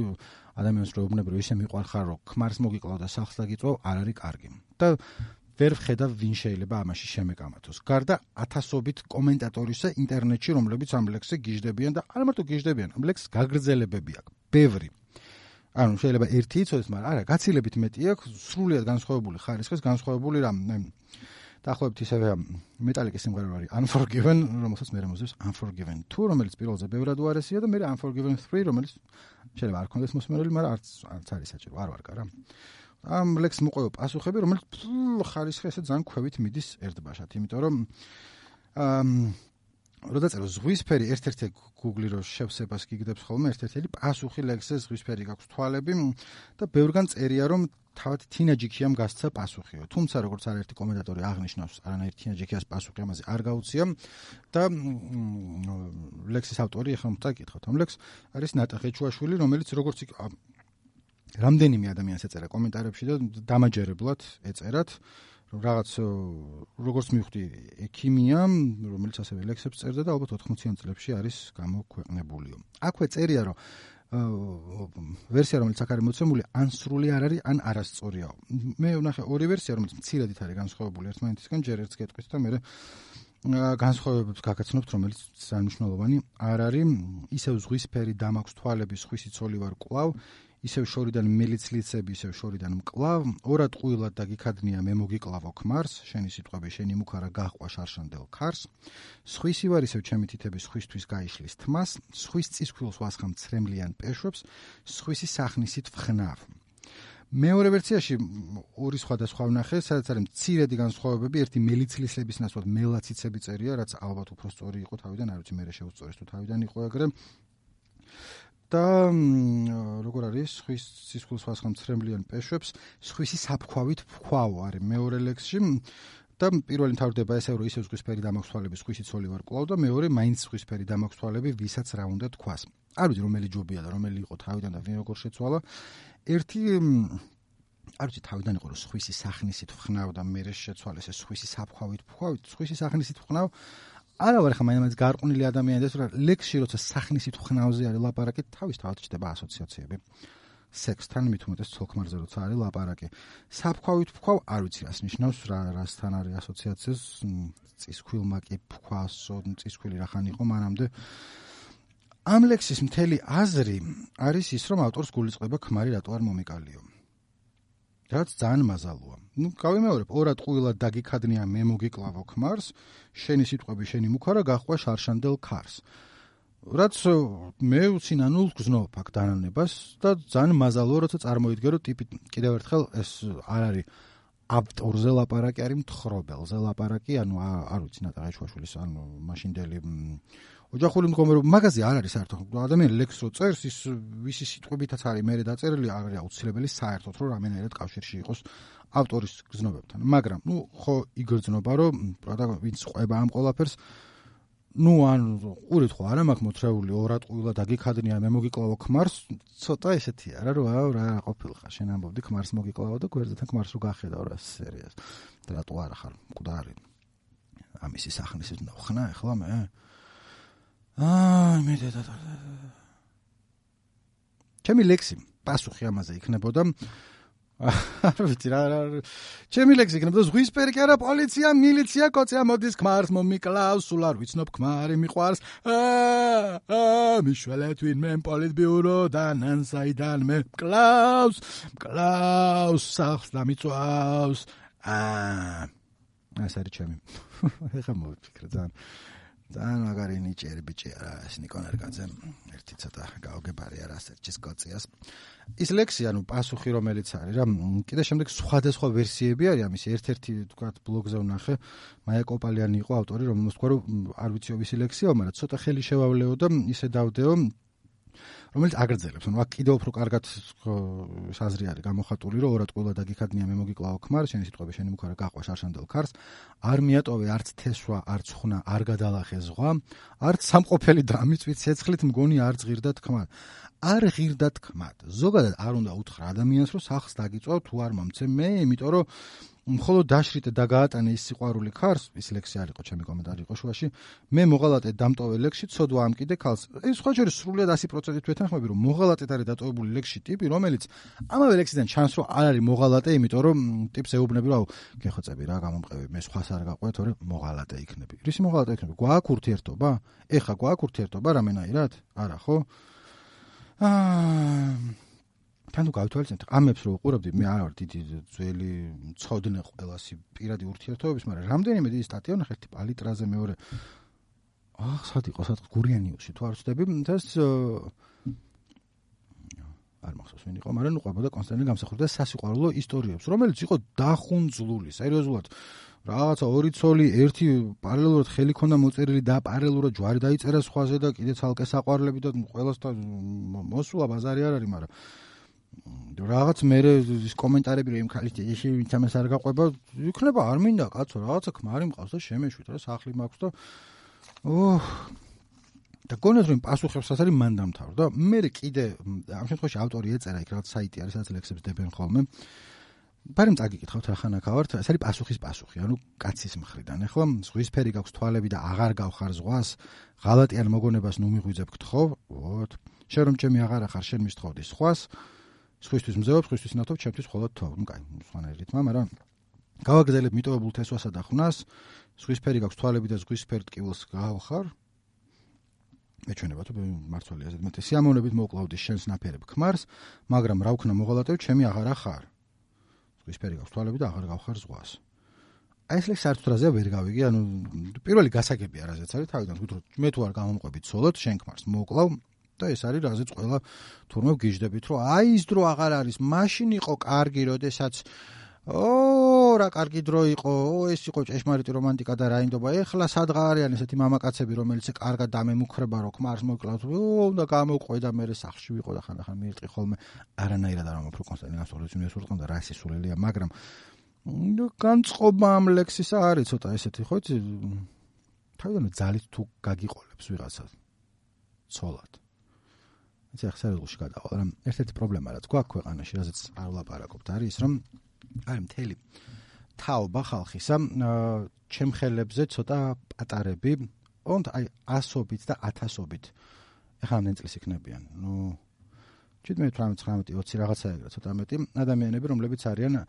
ადამიანს რო ეუბნებრო ისე მიყვარხარ რომ ქმარს მოგიკლავ და სახლს დაგიწვევ, არ არის კარგი. და ვერ ვხედავ ვინ შეიძლება ამაში შემეკამათოს. გარდა ათასობით კომენტატორისა ინტერნეტში, რომლებიც ამ ლექსზე გიждდებიან და არა მარტო გიждდებიან, ამ ლექსს გაგრძელებები აქვს. ბევრი. ანუ შეიძლება ერთი იცოდეს, მაგრამ არა, გაცილებით მეტი აქვს, სრულიად განსხვავებული ხარისხის, განსხვავებული რამე. დაახლოებით ისევე მეტალიკის სიმღერა არის Unforgiven, რომელსაც მე მოსდევს Unforgiven 2, რომელიც პირველზე ბევრად უარესია და მე Unforgiven 3, რომელიც შეიძლება არ ქონდეს მოსმენელი, მაგრამ არც არის საჭირო, არ ვარ კარა. ამ ლექსს მოყვება პასუხები, რომელიც ხარისხი ესე ძალიან ქვევით მიდის ერთბაშად, იმიტომ რომ როდესაც ზღვისფერი ერთ-ერთი Google-ი რო შევსებას გიგდებს ხოლმე ერთ-ერთი პასუხი ლექსზე ზღვისფერი გაქვს თვალები და ბევრგან წერია რომ თავად თინაჯიქიამ გასცა პასუხიო. თუმცა როგორც არაერთი კომენტატორი აღნიშნავს, არანაირ თინაჯიქიას პასუხი ამაზე არ გაუწია და ლექსის ავტორი ახლა მოგკითხოთ ამ ლექსს არის ნატეხი ჩუაშვილი, რომელიც როგორც რამდენიმე ადამიანს ეწერა კომენტარებში და დამაჯერებლად ეწერათ რაღაც როგორც მივხვდი ექიმია, რომელიც ასევე ლექსებს წერდა და ალბათ 80-იან წლებში არის გამოქვეყნებულიო. აქვე წერია რომ ვერსია რომელიც აქ არის მოცემული ან სრული არ არის ან არასწორია. მე ვნახე ორი ვერსია რომელიც მცირედით არის განსხვავებული ერთმანეთისგან, ჯერ ერთს გეტყვით და მე განსხვავებებს გაგაცნობთ, რომელიც ძალიან მნიშვნელოვანი არ არის. ისევ ზღვისფერი დამაქვს თვალები, სხვისი ცოლი ვარ კლავ, ისევ შორიდან მელიცლიცები, ისევ შორიდან მკლავ, ორად ყვილად და გიქადნია მე მოგიკლავო ქმარს, შენი სიტყვები შენი მუქარა გაჰყვა შარშანდელ ქარს, სხვისი ვარ ისევ ჩემი თითები სხვისთვის გაიშლის თმას, სხვის წისქვილს ვასხამ ცრემლიან პეშვებს, სხვისი სახნისით ვხნავ. მეორე ვერსიაში ორი სხვადასხვა ვნახე, სადაც არის მცირედი განსხვავებები, ერთი მელიცლისების ნაცვლად მელაციცები წერია, რაც ალბათ უფრო სწორი იყო თავიდან, არ ვიცი მე შევწორეს თუ თავიდან იყო ეგრე. და როგორ არის ხვის სისხლის ვასხამ ცრემლიან პეშვებს სხვისი საფქვავით ვქვავ არის მეორე ლექსში და პირველი თავდება ესე რომ ისევ ზღვისფერი დამაქვს თვალები სხვისი ცოლი ვარ კლავ და მეორე მაინც ზღვისფერი დამაქვს თვალები ვისაც რა უნდა თქვას. არ ვიცი რომელი ჯობია და რომელი იყო თავიდან და ვინ როგორ შეცვალა. ერთი არ ვიცი თავიდან იყო რომ სხვისი სახნისით ვხნავ და მე შეცვალეს ეს სხვისი საფქვავით ვქვავ, სხვისი სახნისით ვხნავ. არა ვარ ხა მაინც გარყვნილი ადამიანები და ლექსში როცა სახნისით ვხნავზე არის ლაპარაკი, თავისთავად ჩდება ასოციაციები. სექსთან მით უმეტეს ცოლ-ქმარზე როცა არის ლაპარაკი. საფქვავით ვქვავ, არ ვიცი რას ნიშნავს, რასთან არის ასოციაციას, წისქვილმა კი ვქვასო, წისქვილი რახან იყო მანამდე. ამ ლექსის მთელი აზრი არის ის, რომ ავტორს გულისწყდება ქმარი რატო არ მომიკალიო. რაც ძალიან მაზალოა. გავიმეორებ, ორად ყვილად დაგიქადნია მე მოგიკლავო ქმარს, შენი სიტყვები შენი მუქარა გაყვა შარშანდელ ქარს. რაც მე უცინანულ გზნობ აქ დანანებას და ძალიან მაზალოა, როცა წარმოიდგე, რომ ტიპი კიდევ ერთხელ ეს არ არის ავტორზე ლაპარაკი, არის მთხრობელზე ლაპარაკი, ანუ არ ვიცი ნატა ეჩვაშვილის ანუ მაშინდელი ოჯახური მდგომარეობა მაგაზე არ არის საერთოდ. ადამიანი ლექს რო წერს, ის ვისი სიტყვებითაც არის მე დაწერილი, არ არის აუცილებელი საერთოდ რომ რამენერად კავშირში იყოს ავტორის გზნობებთან. მაგრამ ხო იგრძნობა, რომ პროდა ვინც ყვება ამ ყველაფერს ან ყურით ხო არა მაქვს მოთრეული ორად ყვილად დაგიქადნია მე მოგიკლავო ქმარს, ცოტა ესეთი არა რა ყოფილიყარ შენ ამბობდი ქმარს მოგიკლავო და გვერდთან ქმარს რო გახედავ რა სერიას. რატო არა ხარ მკვდარი? ამისი სახნის ნახნა ახლა მე მე და ჩემი ლექსი პასუხი ამაზე იქნებოდა არ ვიცი რა ჩემი ლექსი იქნებოდა ზღვისფერი კი არა პოლიცია მილიცია კოცია მოდის ქმარს მომიკლავს სულ არ ვიცნობ ქმარი მიყვარს მიშველეთ ვინმე პოლიტბიუროდან ან საიდან მე მკლავს სახლს დამიწვავს ეს არის ჩემი ეხა მოვიფიქრე ძალიან მაგარი ნიჭიერი ბიჭი არა ეს ნიკონ ერგაძე ერთი ცოტა გაოგებარი არა ასერჩის კოციას ის ლექსი ანუ პასუხი რომელიც არის რა კიდე შემდეგ სხვადასხვა ვერსიები არის ამის ერთ-ერთი თქვათ ბლოგზე ვნახე მაია კოპალიანი იყო ავტორი რომელმაც თქვა რომ არ ვიციო ვისი ლექსია მაგრამ ცოტა ხელი შევავლეო და ისე დავდეო რომელიც აგრძელებს ანუ აქ კიდევ უფრო კარგად საზრი არის გამოხატული რომ ორად ყვილად დაგიქადნია მე მოგიკლავო ქმარი შენი სიტყვები შენი მუქარა გაყვა შარშანდელ ქარს არ მიატოვე არც თესვა არც ხუნა არ გადალახე ზღვა არც სამყოფელი დამიწვით ცეცხლით მგონი არ ზღირდა თქმა არ ღირდა თქმა ზოგადად არ უნდა უთხრა ადამიანს რომ სახლს დაგიწვავ თუ არ მომცე მე იმიტომ რომ მხოლოდ დაშრიტე და გაატანე ის სიყვარული ქარს ის ლექსი არ იყო ჩემი კომენტარი იყო შუაში მე მოღალატე დამტოვე ლექსში ცოდვა ამკიდე ქალს ეს სხვა შეიძლება სრულად 100%-ით ვეთანხმები რომ მოღალატეთ არის დატოვებული ლექსში ტიპი რომელიც ამავე ლექსიდან ჩანს რომ არ არის მოღალატე იმიტომ რომ ტიპს ეუბნები რომ გეხოცები რა გამომყევი მე სხვას არ გაყვე თორე მოღალატე იქნები რისი მოღალატე იქნები გვაქვს ურთიერთობა ეხა გვაქვს ურთიერთობა რამენაირად არა ხო თან თუ გავთვალისწინებთ ამებს რო უყურებდი მე არ ვარ დიდი ძველი მწოდნე ყველასი პირადი ურთიერთობების მაგრამ რამდენიმე დიდი სტატია ვნახე ერთი პალიტრაზე მეორე სად იყო სადღაც გურიანიუსში თუ არ ვცდები ეს არ მახსოვს ვინ იყო მაგრამ ყვებოდა კონსტანტინე გამსახურდა სასიყვარულო ისტორიებს რომელიც იყო დახუნძლული სერიოზულად რაღაცა ორი ცოლი ერთი პარალელურად ხელი ქონდა მოწერილი და პარალელურად ჯვარი დაიწერა სხვაზე და კიდე ცალკე საყვარლები და ყველასთან მოსულა ბაზარი არ არის მაგრამ რაღაც მე ის კომენტარები რომ იმ ხალის ეში ვინც ამას არ გაყვება იქნება არ მინდა კაცო რაღაცა ქმარი მყავს და შემეშვით რა სახლი მაქვს და და გონებს რომ პასუხებსაც არის მან დამთავრდა მე კიდე ამ შემთხვევაში ავტორი ეწერა იქ რაღაც საიტი არის სადაც ლექსებს დებენ ხოლმე ბარემ წაგიკითხავთ რა ხანაკა ვართ ეს არის პასუხი ანუ კაცის მხრიდან ახლა ზღვისფერი გაქვს თვალები და აღარ გავხარ ზღვას ღალატიან მოგონებას ნუ მიღვიძებ გთხოვ ვოთ შენ რომ ჩემი აღარ ახარ შენ მისთხოვდი სხვას სხვისთვის მზეობს, სხვისთვის ნათობ, ჩემთვის მხოლოდ თო. ნუ კაი, სხვანაირი რითმა, მაგრამ გავაგრძელებ მიტოვებულ თესვასა და ხვნას, ზღვისფერი გაქვს თვალები და ზღვისფერ ტკივილს გავხარ. მეჩვენება თუ მართალია ზედ მეტი სიამოვნებით მოკლავდი შენს ნაფერებ ქმარს, მაგრამ რა ვქნა მოღალატებ, ჩემი აღარ ახარ. ზღვისფერი გაქვს თვალები და აღარ გავხარ ზღვას. აი ეს ლექსი საერთოდ რაზე ვერ გავიგე, ანუ პირველი გასაგებია რაზეც არის თავიდან ვთქვით, რომ მე თუ არ გამომყვებით ცოლად, შენ ქმარს მოკლავ და ეს არის რაზეც ყველა თურმე გიждდებით რომ აი ის დრო აღარ არის მაშინ იყო კარგი როდესაც რა კარგი დრო იყო ეს იყო ჭეშმარიტი რომანტიკა და რაინდობა ეხლა სადღა არიან ესეთი მამაკაცები რომელიც კარგად დამემუქრება რომ ქმარს მოკლავთ უნდა გამოყვე და მე სახში ვიყო და ხანდახან მიირტყი ხოლმე არანაირად არ ამოფრო კონსტანტინე გამსახურდით უნივერსიტეტთან და რა სისულელია მაგრამ განწყობა ამ ლექსისა არის ცოტა ესეთი ხო იცი თავიდან ძალით თუ გაგიყოლებს ვიღაცა ცოლად ეს ახსარებულში გადავალ რა ერთ-ერთი პრობლემა რაც გვაქვს ქვეყანაში რაზეც არ ვლაპარაკობთ არის ის რომ აი მთელი თაობა ხალხისა ჩემხელებზე ცოტა პატარები ოღონდ აი 100-ობით და 1000-ობით ეხლა ამ წელს იქნებიან ნუ 17 18 20 რაღაცა ეგრე ცოტა მეტი ადამიანები რომლებიც არიან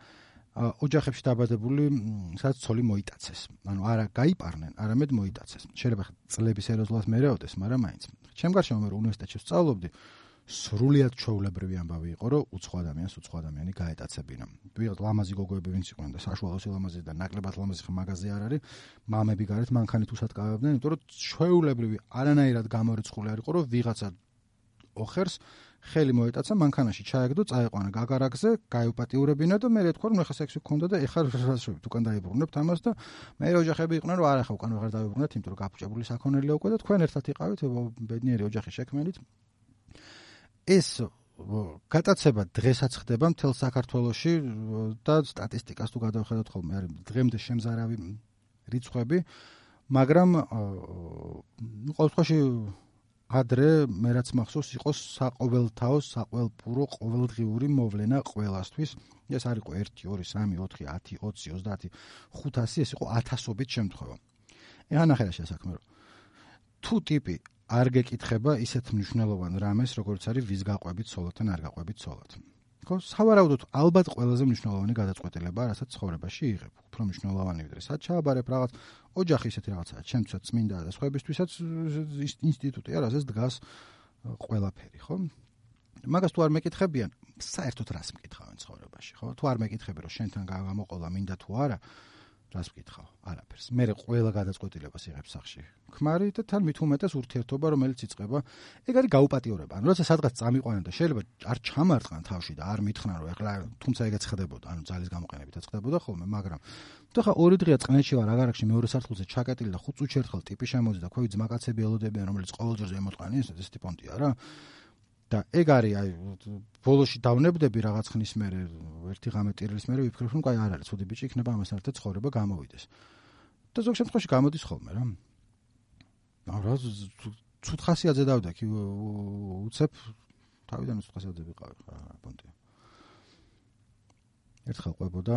ოჯახებში დაბადებული სადაც ცოლი მოიტაცეს ანუ არა გაიპარნენ არამედ მოიტაცეს შეიძლება წლების ეროზლას მერეოდეს მაგრამ მაინც ჩემ გარშემო მე უნივერსიტეტში ვსწავლობდი სრულიად ჩვეულებრივი ამბავი იყო, რომ უცხო ადამიანი გაეტაცებინა. ვიღაც ლამაზი გოგოები ვინც იყვნენ და საშუალო სილამაზის და ნაკლებად ლამაზი მაღაზია არ არის, მამები გარეთ მანქანით უსატკავებდნენ, იმიტომ რომ ჩვეულებრივი არანაირად გამორიცხული არ იყო, რომ ვიღაცა ოხერს ხელი მოეტაცა მანქანაში ჩაეგდო, წაეყვანა გაგარაგზე, გაიუპატიურებინა და მე თქვა რომ ეხა სექსი გქონდა და ეხა რასშევით უკან დაიბრუნებთ ამას და მე ოჯახები იყვნენ რომ არა ხა უკან ვეღარ დაიბრუნებთ, იმიტომ რომ გაფუჭებული საქონელია უკვე და თქვენ ერთად იყავით ბედნიერი ოჯახი შექმნით. ეს გატაცება დღესაც ხდება მთელ საქართველოში და სტატისტიკას თუ გადავხედოთ ხოლმე არის დღემდე შემზარავი რიცხვები, მაგრამ ყოველ შემთხვევაში ადრე მე რაც მახსოვს იყო საყოველთაო, საყველპურო, ყოველდღიური მოვლენა ყველასთვის. ეს არ იყო 1, 2, 3, 4, 10, 20, 30, 500, ეს იყო 1000-ობით შემთხვევა. ეხლა ნახე რა შესაქმე რომ თუ ტიპი არ გეკითხება ისეთ მნიშვნელოვან რამეს, როგორც არის ვის გაყვებით ცოლად ან არ გაყვებით ცოლად. ხო, სავარაუდოდ ალბათ ყველაზე მნიშვნელოვანი გადაწყვეტილება, რასაც ცხოვრებაში იღებ. უფრო მნიშვნელოვანი ვიდრე სად ჩააბარებ რაღაც ოჯახი ისეთი რაღაცაა, ჩემთვისაც წმინდა და სხვაებისთვისაც ინსტიტუტია, რასაც დგას ყველაფერი, ხო? მაგას თუ არ მეკითხებიან, საერთოდ რას მკითხავენ ცხოვრებაში, ხო? თუ არ მეკითხები, რომ შენთან გამოყოლა მინდა თუ არა, რას მკითხავ? არაფერს. მე ყველა გადაწყვეტილებას იღებ სახში. ქმარი და თან მით უმეტეს ურთიერთობა, რომელიც იწყება, ეგ არის გაუპატიურება. ანუ როცა სადღაც წამიყვანენ და შეიძლება არ ჩამარტყან თავში და არ მითხრან, რომ ეხლა თუმცა ეგეც ხდებოდა, ანუ ძალის გამოყენებითაც ხდებოდა ხოლმე, მაგრამ თუ ხა 2 დღეა წყნეთში ვარ, აგარაკში მეორე სართულზე ჩაკეტილი და 5 წუთში ერთხელ ტიპი შემოდის და ქვევით ძმაკაცები ელოდებიან, რომელიც ყოველჯერ ზემოტყანი ეს ტიპონტია რა. და ეგ არის აი ბოლოში დავნებდები რაღაც ხნის მერე ერთი ღამე ტირილის მერე ვიფიქრებ რომ აი არ არის ცუდი ბიჭი იქნება ამასთან ერთად ცხოვრება გამოვიდეს და ზოგ შემთხვევაში გამოდის ხოლმე რა რა ცუდ ხასიათზე დავდექი უცებ თავიდან ცუდ ხასიათზე ვიყავი ხა პონტი ერთხელ ყვებოდა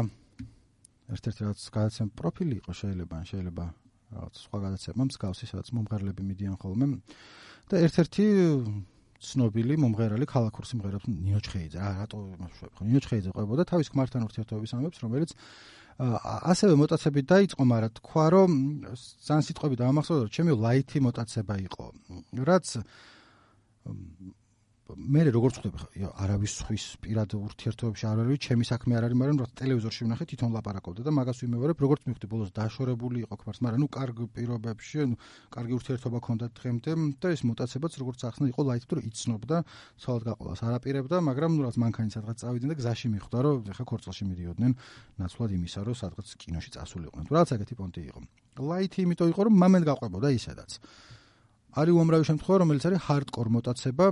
ერთ-ერთი რაღაც გადაცემა პროფილი იყო შეიძლება რაღაც სხვა გადაცემა მსგავსი სადაც მომღერლები მიდიან ხოლმე და ერთ-ერთი ცნობილი მომღერალი ქალაქურ სიმღერებს ნინო ჩხეიძე რატო იმაშვებ ხო ნინო ჩხეიძე ყვებოდა თავის ქმართან ურთიერთობის ამბებს რომელიც ასევე მოტაცებით დაიწყო მაგრამ თქვა რომ ძალიან სიტყვები დაამახსოვრდა რომ ჩემი ლაითი მოტაცება იყო რაც მე როგორც ხვდები არავის ხვის პირად ურთიერთობებში არ არის ჩემი საქმე არ არის მაგრამ რა ტელევიზორში ვნახე თვითონ ლაპარაკობდა და მაგას ვიმეორებ როგორც მივხვდი ბოლოს დაშორებული იყო ქმარს მაგრამ კარგ პირობებში კარგი ურთიერთობა ჰქონდა დღემდე და ეს მოტაცებაც როგორც ახსნა იყო ლაითი რომ იცნობდა ცოლად გაყოლას არაპირებდა მაგრამ რაც მანქანით სადღაც წავიდნენ და გზაში მიხვდა რომ ეხა ქორწილში მიდიოდნენ ნაცვლად იმისა რომ სადღაც კინოში წასულიყვნენ თუ რაღაც ეგეთი პონტი იყო ლაითი იმიტომ იყო რომ მამენ გაყვებოდა ისედაც არის უამრავი შემთხვევა რომელიც არის ჰარდკორ მოტაცება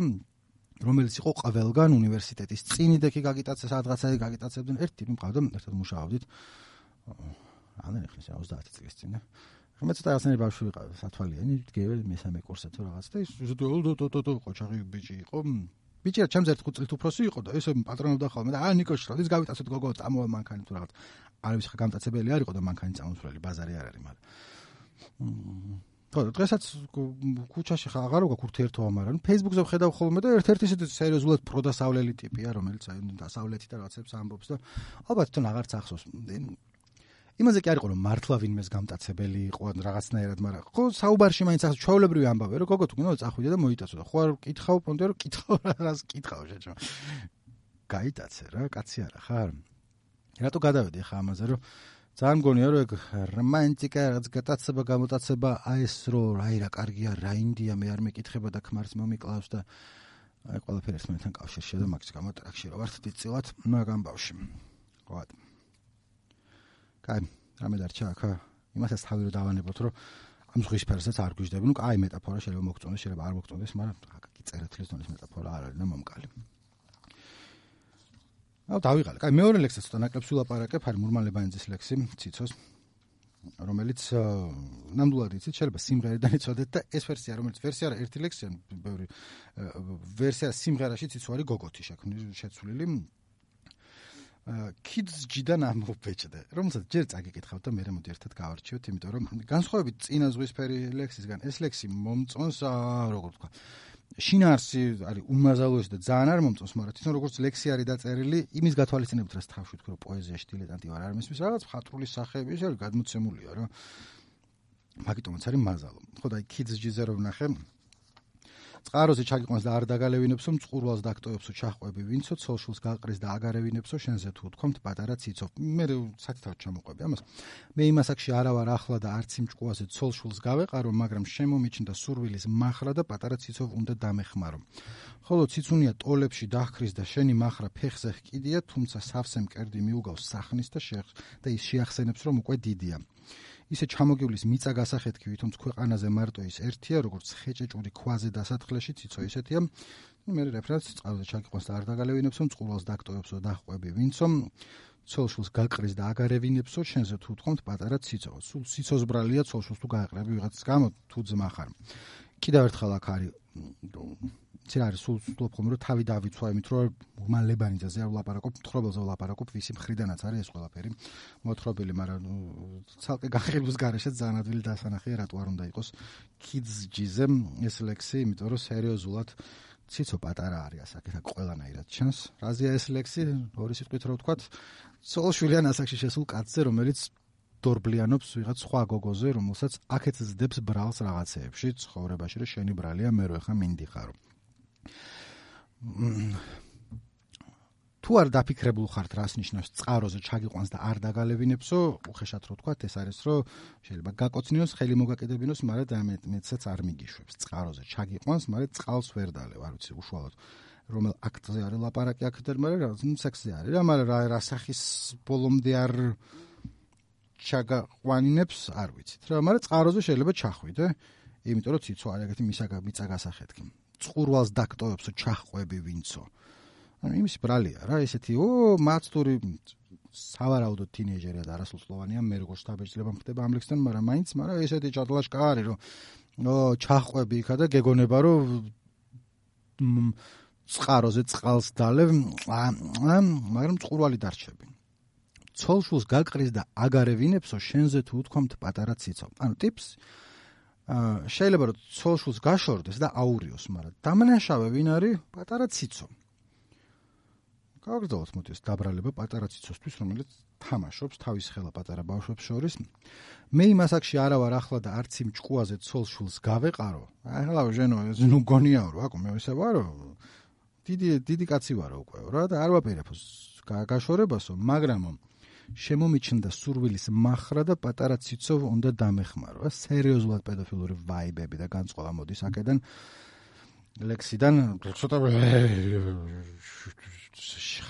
რომელიც იყო ყველგან უნივერსიტეტის წინიდექი გაგიტაცე სადღაცა გაგიტაცებდნენ ერთი ტიპი მყავდა ერთად მუშაობდით ამდენი ხნის 30 წლის წინ და ხმეც დაასწრები ბავშვი ვიყავ სათვალიანი დგევ მესამე კურსზე თუ რაღაც და ის ყოჩაღი ბიჭი იყო ბიჭი რა ჩემს 1 წლით უფროსი იყო და ესე პატრონობდა ხოლმე და ნიკო შროდის გავიტაცეთ გოგო წამოვა მანქანი თუ რაღაც არის ხა გამტაცებელი არ იყო და მანქანი წამოსვლელი ბაზარი არ არის მაგრამ ხო დღესაც ქუჩაში ხა აღარ ვგაქვს ურთიერთობა მაგრამ Facebook-ზე ვხედავ ხოლმე და ერთ-ერთი ისეთი სერიოზულად პროდასავლელი ტიპია რომელიც აი დასავლეთი და რაღაცებს ამბობს და ალბათ თვითონ აღარც ახსოვს იმაზე კი არ იყო რომ მართლა ვინმეს გამტაცებელი იყო რაღაცნაირად მაგრამ ხო საუბარში მაინც ახსოვს ჩვეულებრივი ამბავი რომ გოგო თუ გინდა წახვიდე და მოიტაცო და ხო არ კითხავ პონტე რომ კითხავ რას კითხავ შეჭო გაიტაცე რა კაცი არა ხარ რატო გადავედი ხა ამაზე რომ ძალიან მგონია რომ ეგ რომანტიკა რაღაც გატაცება გამოტაცება აი ეს რომ აი რა კარგია რა ინდია მე არ მეკითხება და ქმარს მომიკლავს და აი ყველაფერი ერთმანეთთან კავშირშია და მაგის გამო ტრაქში რო ვართ დიდწილად მაგამ ბავში ხო კაი რამე დარჩა ახლა იმასაც თავი რო დავანებოთ რომ ამ ზღვის ფერსაც არ გვიждები ნუ კაი მეტაფორა შეიძლება მოგწონდეს შეიძლება არ მოგწონდეს მაგრამ კი წერეთლის დონის მეტაფორა არ არის და მომკალი აუ დავიღალე. კაი მეორე ლექსი ცოტა ნაკლებს ვილაპარაკებ, არის მურმალებანიძის ლექსი, ციცოს, რომელიც ნამდვილად იცით, შეიძლება სიმღერიდან იცოდეთ და ეს ვერსია, რომელიც ვერსია არა, ერთი ლექსია, ბევრი ვერსია სიმღერაში ციცო არის გოგოთი შეცვლილი. Kids ჯიდან ამობეჭდე. რომელსაც ჯერ წაგიკითხავთ და მე მოდი ერთად გავარჩიოთ, იმიტომ რომ განსხვავებით წინა ზღვისფერი ლექსისგან, ეს ლექსი მომწონს, როგორ ვთქვა, შინაარსი არის უმაზალოესი და ძალიან არ მომწონს, მაგრამ თვითონ როგორც ლექსი არის დაწერილი, იმის გათვალისწინებით რაც თავში ვთქვი, რომ პოეზიაში დილეტანტი ვარ, არ მესმის რაღაც მხატვრული სახეები, ეს არის გადმოცემულია რა. მაგიტომაც არის მაზალო. ხო და აი Kids ჯიზე რომ ვნახე, წყაროზე ჩაგიყვანს და არ დაგალევინებსო, მწყურვალს დაგტოვებსო, ჩახვები ვინცო, ცოლშულს გაყრის და აგარევინებსო, შენზე თუ ვთქვამთ პატარა ციცო. მე სათითაოდ ჩამოყვები ამას. მე იმას აქში არა ვარ ახლა და არც იმ ჭკუაზე ცოლშულს გავეყარო, მაგრამ შემომიჩნდა სურვილის მახრა და პატარა ციცო უნდა დამეხმარო. ხოლო ციცუნია ტოლებში დაჰქრის და შენი მახრა ფეხზე ჰკიდია, თუმცა სავსე მკერდი მიუგავს სახნის და ის შეახსენებს, რომ უკვე დიდია. ისე ჩამოგივლის მიწა გასახეთქი, ვითომც ქვეყანაზე მარტო ის ერთია, როგორც ხეჭეჭური ქვაზე დასათხლეში ციცო ისეთია. მე რეფერენს წყაროზე ჩაგიყვანს და არ დაგალევინებსო, მწყურვალს დაგტოვებსო, დაჰყვები ვინცო, ცოლშულს გაყრის და აგარევინებსო, შენზე თუ ვთქვამთ პატარა ციცო. სულ ციცოს ბრალია ცოლშულს თუ გაეყრები ვიღაცის გამო, თუ ძმა ხარ. კიდევ ერთხელ აქ არის ცი არის სულ ვთქვამ, რომ თავი დავიცვა, იმით რომ მალლებანიძეზე არ ვლაპარაკობ, მთხრობელზე ვლაპარაკობ, ვისი მხრიდანაც არის ეს ყველაფერი მოთხრობილი, მაგრამ ცალკე განხილვის გარეშე ძალიან ადვილი დასანახია, რატო არ უნდა იყოს kids-ზე ეს ლექსი, იმიტომ რომ სერიოზულად ციცო პატარა არის ასაკით, აქ ყველანაირად ჩანს. რაზეა ეს ლექსი? ორი სიტყვით რო ვთქვათ, ცოლშვილიან ასაკში შესულ კაცზე, რომელიც დორბლიანობს ვიღაც სხვა გოგოზე, რომელსაც აქეთ ზდებს ბრალს რაღაცეებში ცხოვრებაში, რომ შენი ბრალია, მე რო ახლა მინდიხარო. თუ არ დაფიქრებულ ხართ, რას ნიშნავს წყაროზე ჩაგიყვანს და არ დაგალევინებსო, უხეშად რო თქვათ, ეს არის, რომ შეიძლება გაკოცნიოს, ხელი მოგაკიდებინოს, მაგრამ მეცაც არ მიგიშვებს. წყაროზე ჩაგიყვანს, მაგრამ წყალს ვერ დალევ, არ ვიცი უშუალოდ რომელ აქტზე არის ლაპარაკი აქედან, მაგრამ სექსზე არის რა, მაგრამ რა სახის ბოლომდე არ ჩაგაყვანინებს, არ ვიცით რა, მაგრამ წყაროზე შეიძლება ჩახვიდე, იმიტომ რომ ციცო არის ეგეთი მიწა გასახეთქი. წყურვალს დაგტოვებსო, ჩახვები ვინცო. ანუ იმის ბრალია რა, ესეთი მაცტური სავარაუდოდ თინეიჯერია და არასრულწლოვანია, მე როგორც შთაბეჭდილება მხდება ამ ლექსთან, მაგრამ ესეთი ჭადლაშკა არის, რომ ჩახვები იქა და გეგონება, რომ წყაროზე წყალს დალევ, მაგრამ წყურვალი დარჩები. ცოლშულს გაყრის და აგარევინებსო, შენზე თუ უთქვამთ პატარა ციცო. ანუ ტიპს შეიძლება რომ ცოლშულს გაშორდეს და აურიოს, მაგრამ დამნაშავე ვინ არის? პატარა ციცო. გავაგრძელოთ მოდი ეს დაბრალება პატარა ციცოსთვის, რომელიც თამაშობს თავის ხელა პატარა ბავშვებს შორის. მე იმას აქში არა ვარ ახლა და არც იმ ჭკუაზე ცოლშულს გავეყარო. ახლა ჟენო, ნუ გონიაო რა, აკო მე ისე ვარო. დიდი კაცი ვარო უკვე რა და არ ვაპირებ გაშორებასო, მაგრამ შემომიჩნდა სურვილის მახრა და პატარა ციცო უნდა დამეხმარო. სერიოზულად პედოფილური ვაიბები და განწყობა მოდის აქედან ლექსიდან, ცოტა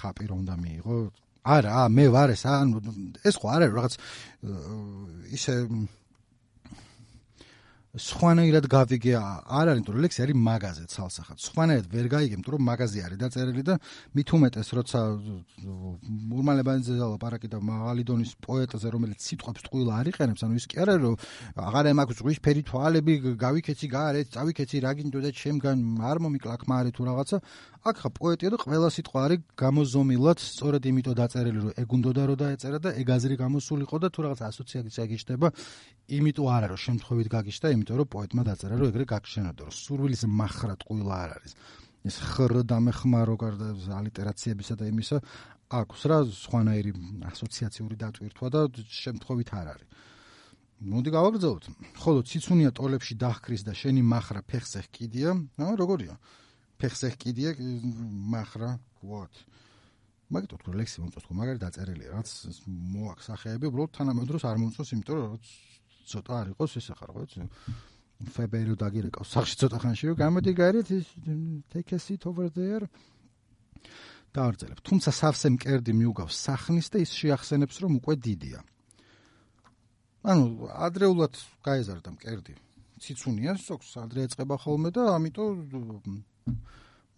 ხაპი რომ უნდა მიიღო. არა, მე ვარ ეს ხო არა რაღაც ისე სხვანაირად გავიგე, არ არის, თუ ლექსი არის მაგაზე ცალსახად. სხვანაირად ვერ გაიგე, თუ რომ მაგაზე არის დაწერილი და მით უმეტეს, როცა ურმალებანიძე ლაპარაკი და მაღალი დონის პოეტზე, რომელიც სიტყვებს ტყუილა არ იყენებს, ანუ ის კი არა, რომ აღარა მაქვს ზღვისფერი თვალები, გავიქეცი გარეთ, წავიქეცი რა გინდოდა ჩემგან, არ მომიკლაკ მარე თუ რაღაცა. აქ ხა პოეტია და ყველა სიტყვა არის გამოზომილად, სწორედ იმიტომ დაწერილი, რომ ეგ უნდოდა რომ დაეწერა და ეგ აზრი გამოსულიყო და თუ რაღაც ასოციაცია გიშდება, იმიტომ არა, რომ შემთხვევით გაგიშდა, იმიტომ რომ პოეტმა დაწერა, რომ ეგრე გაგშენოდა, რომ სურვილის მახრა ტყუილა არ არის. ეს ხრ დამეხმარო გარდა ალიტერაციებისა და იმისა, აქვს რა სხვანაირი ასოციაციური დატვირთვა და შემთხვევით არ არის. მოდი გავაგრძელოთ. ხოლო ციცუნია ტოლებში დაჰქრის და შენი მახრა ფეხზე ჰკიდია, როგორია? ფეხზე ჰკიდია მახრა, what? მაგიტო თუ ლექსი მომწონს, თუ მაგარი დაწერილია, რაც მოაქვს სახეები, უბრალოდ თანამედროვე არ მომწონს, იმიტომ რომ ცოტა არ იყოს ეს ახლა რა ვიცი. February დაგირეკავს სახში ცოტა ხანში, რომ გამოდი გარეთ, take a seat over there. დაარძელებ. თუმცა სავსე მკერდი მიუგავს სახნის და ის შეახსენებს, რომ უკვე დიდია. ანუ ადრეულად გაეზარდა მკერდი. ციცუნია სოქს ადრე ეწყება ხოლმე და ამიტომ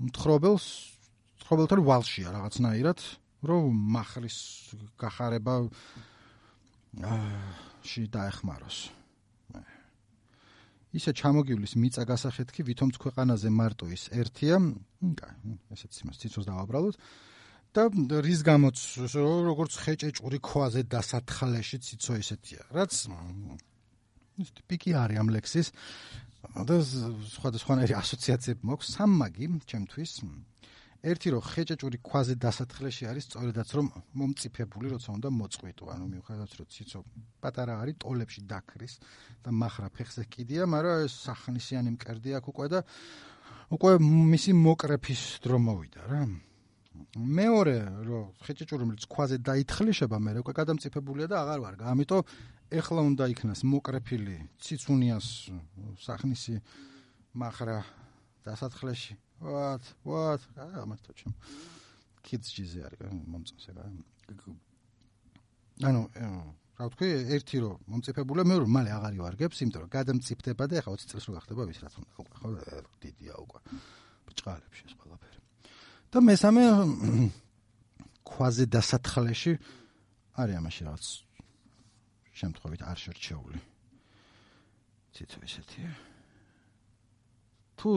მთხრობელთან ვალშია რაღაცნაირად, რომ მახრის გახარება დაეხმაროს. ისე ჩამოგივლის მიწა გასახეთქი, ვითომც ქვეყანაზე მარტო ის ერთია, ესეც იმას ციცოს დავაბრალოთ და რის გამოც როგორც ხეჭეჭური ქვაზე დასათხალეში ციცო ისეთია, რაც ის ტიპიკი არის ამ ლექსის და სხვადასხვანაირი ასოციაციები მაქვს. სამმაგი ჩემთვის ერთი რომ ხეჭეჭური ქვაზე დასათხლეში არის სწორედაც რომ მომწიფებული როცა უნდა მოწყვიტო, ანუ მიუხედავად რომ ციცო პატარა არის, ტოლებში დაქრის და მახრა ფეხზე ჰკიდია, მაგრამ ეს სახნისიანი მკერდი აქვს უკვე და უკვე მისი მოკრეფის დრო მოვიდა რა. მეორე რომ ხეჭეჭური რომელიც ქვაზე დაითხლიშება მე უკვე გადამწიფებულია და აღარ ვარ. ამიტომ ეხლა უნდა იქნას მოკრეფილი ციცუნიას სახნისი მახრა დასათხლეში. what ამათო ჩემ kids ჯიზე არის მომწონს ეგ. ანუ რა ვთქვი, ერთი რომ მომწიფებულია, მეორე მალე აღარ ივარგებს, იმიტომ რომ გადამწიფდება და ეხლა 20 წელს რო გახდება ვის რაც უნდა უკვე, ხო, დიდია უკვე. ბჭყალებში ეს ყველაფერი. და მესამე ქვაზე დასათხლეში არის ამაში რაღაც შემთხვევით არ შერჩეული. ციცო ესეთია. თუ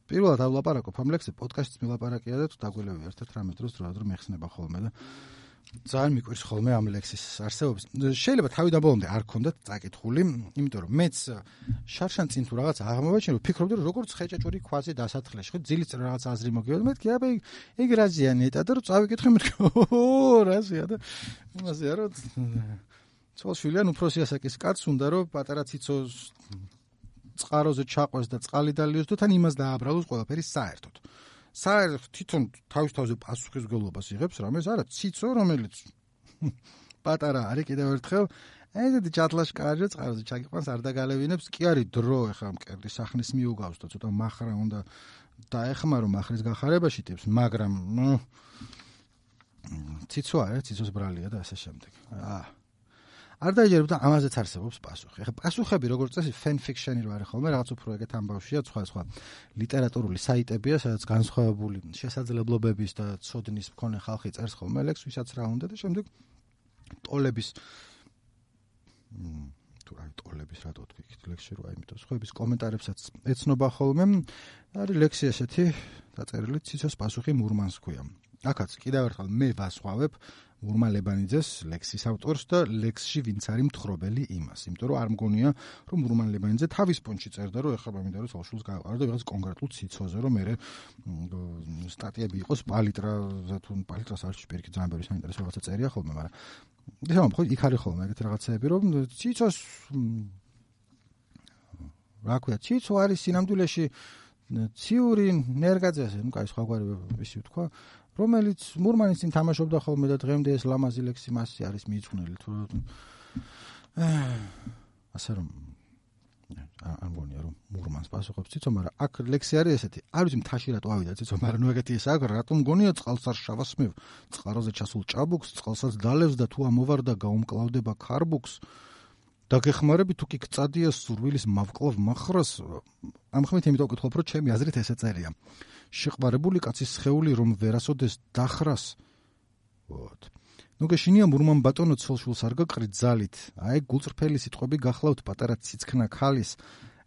პირველადავლაპარაკობ ამ ლექსზე, პოდკასტის მილაპარაკია და თუ დაგველევი ერთ-ერთ რამე დროს რომ მეხსნება ხოლმე და ძალიან მიყვარს ხოლმე ამ ლექსის არსებობის. შეიძლება თავიდან ბოლომდე არ ქონდათ წაკითხული, იმიტომ რომ მეც შარშან წინ თუ რაღაც აღმოვაჩინე, ვფიქრობდი რომ როგორც ხეჭეჭური ქვაზე დასათხლეში, ხო, ძილის წინ რაღაც აზრი მოგიოდა, მეთქი, აბა ეგ რაზეა ნეტა და რომ წავიკითხე, მეთქი, რაზეა და იმასეა რომ ცოლშვილიან უფროსი ასაკის კაცს უნდა რომ პატარა ციცოს წყაროზე ჩაყვეს და წყალი დალიოს და თან იმას დააბრალოს ყველაფერი საერთოდ. საერთოდ თვითონ თავის-თავზე პასუხისმგებლობას იღებს რამეს, არა ციცო, რომელიც პატარა არის კიდევ ერთხელ, ესეთი ჩათლაშკარიო წყაროზე ჩაგიყვანს არ დაგალევინებს, კი არის დრო ახლა მკერდის სახნის მიუგავს და ცოტა მახრა უნდა დაეხმარო მახვრის გახარებაში ტიპს, მაგრამ ციცო არის, ციცოს ბრალია და ასე შემდეგ. არ დაიჯერებდა ამაზეც არსებობს პასუხი. ეხლა პასუხები როგორც წესი fan fiction-ი რო არის ხოლმე, რაღაც უფრო ეგეთ ამბავშია, სხვა ლიტერატურული საიტებია, სადაც განსხვავებული შესაძლებლობების და ცოდნის მქონე ხალხი წერს ხოლმე ლექს, ვისაც რა უნდა და შემდეგ ტოლების ტოლების რატო თქვი ლექსში რა, იმიტომ სხვების კომენტარებსაც ეცნობა ხოლმე. არის ლექსი ესეთი დაწერილი ციცოს პასუხი მურმანს ქვია. აქაც კიდევ ერთხელ მე ვასხვავებ მურმან ლებანიძეს ლექსის ავტორს და ლექსში ვინც არის მთხრობელი იმას. იმიტომ რომ არ მგონია რომ მურმან ლებანიძე თავის პონჩი წერდა რომ ეხლა მინდა რომ საშულს გააყარო და ვიღაც კონკრეტულ ციცოზე რომ მე სტატიები იყოს პალიტრაზე თუ პალიტრას არ შეიძლება ძალიან ბევრი საინტერესო რაღაცა წერია ხოლმე, მაგრამ ეხლა ხო იქ არის ხოლმე ეგეთი რაღაცები რომ ციცოს რა ქვია, ციცო არის სინამდვილეში ციური ნერგაძეზე, ნუ კაი სხვაგვარი ვისი ვთქვა, რომელიც მურმანის წინ თამაშობდა ხოლმე და დღემდე ეს ლამაზი ლექსი მასზე არის მიიწვნილი თუ ასე რომ არ მგონია რომ მურმანს პასუხობს ციცო, მაგრამ აქ ლექსი არის ესეთი, არ ვიცი მთაში რატო ავიდა ციცო, მაგრამ ნუ ეგეთი ის აქვს, რატომ მგონია წყალს არ შავასმევ, წყაროზე ჩასულ ჭაბუკს, წყალსაც დალევს და თუ ამოვარდა გაუმკლავდება ქარბუქს. დაგეხმარები თუ კი გწადია სურვილის მავკლავ მახრას, ამ ხმით იმიტომ ვკითხულობ, რომ ჩემი აზრით ესე წერია. შეყვარებული კაცის სხეული რომ ვერასოდეს დახრას. ვოთ. ნუ გეშინია მურმან ბატონო ცოლშულს არ გაკრით ძალით. აი გულწრფელი სიტყვები გახლავთ პატარა ციცქნა ქალის.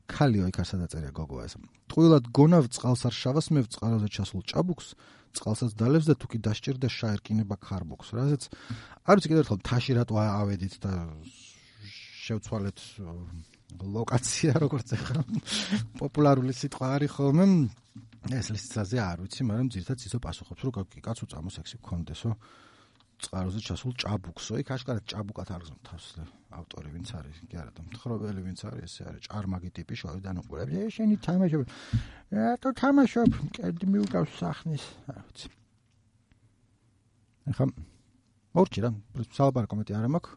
ქალიო იქ არ სადაწერია გოგო ეს. ტყუილად გონავ წყალს არ შავასმევ წყაროზე ჩასულ ჭაბუკს, წყალსაც დალევს და თუ კი დასჭირდა შაერკინება ქარბუქს. რაზეც არ ვიცი კიდევ ერთხელ მთაში რატო ავედით და შევცვალეთ ლოკაცია როგორც ახლა პოპულარული სიტყვა არის ხოლმე ეს ლისტაზე არ ვიცი, მაგრამ ძირითადად ისო პასუხობს რომ კაცო წამო სექსი გქონდესო წყაროზე ჩასულ ჭაბუქსო, იქ აშკარად ჭაბუკად არ გზნობ თავს ავტორი ვინც არის, კი არა და მთხრობელი ვინც არის, ესე არის ჭარმაგი ტიპი შოვიდან უყურებს, შენი თამაშობ რატო თამაშობ, კედი მიუგავს სახნის, არ ვიცი. ახლა მორჩი რა, სალაპარაკო მეტი არ მაქვს.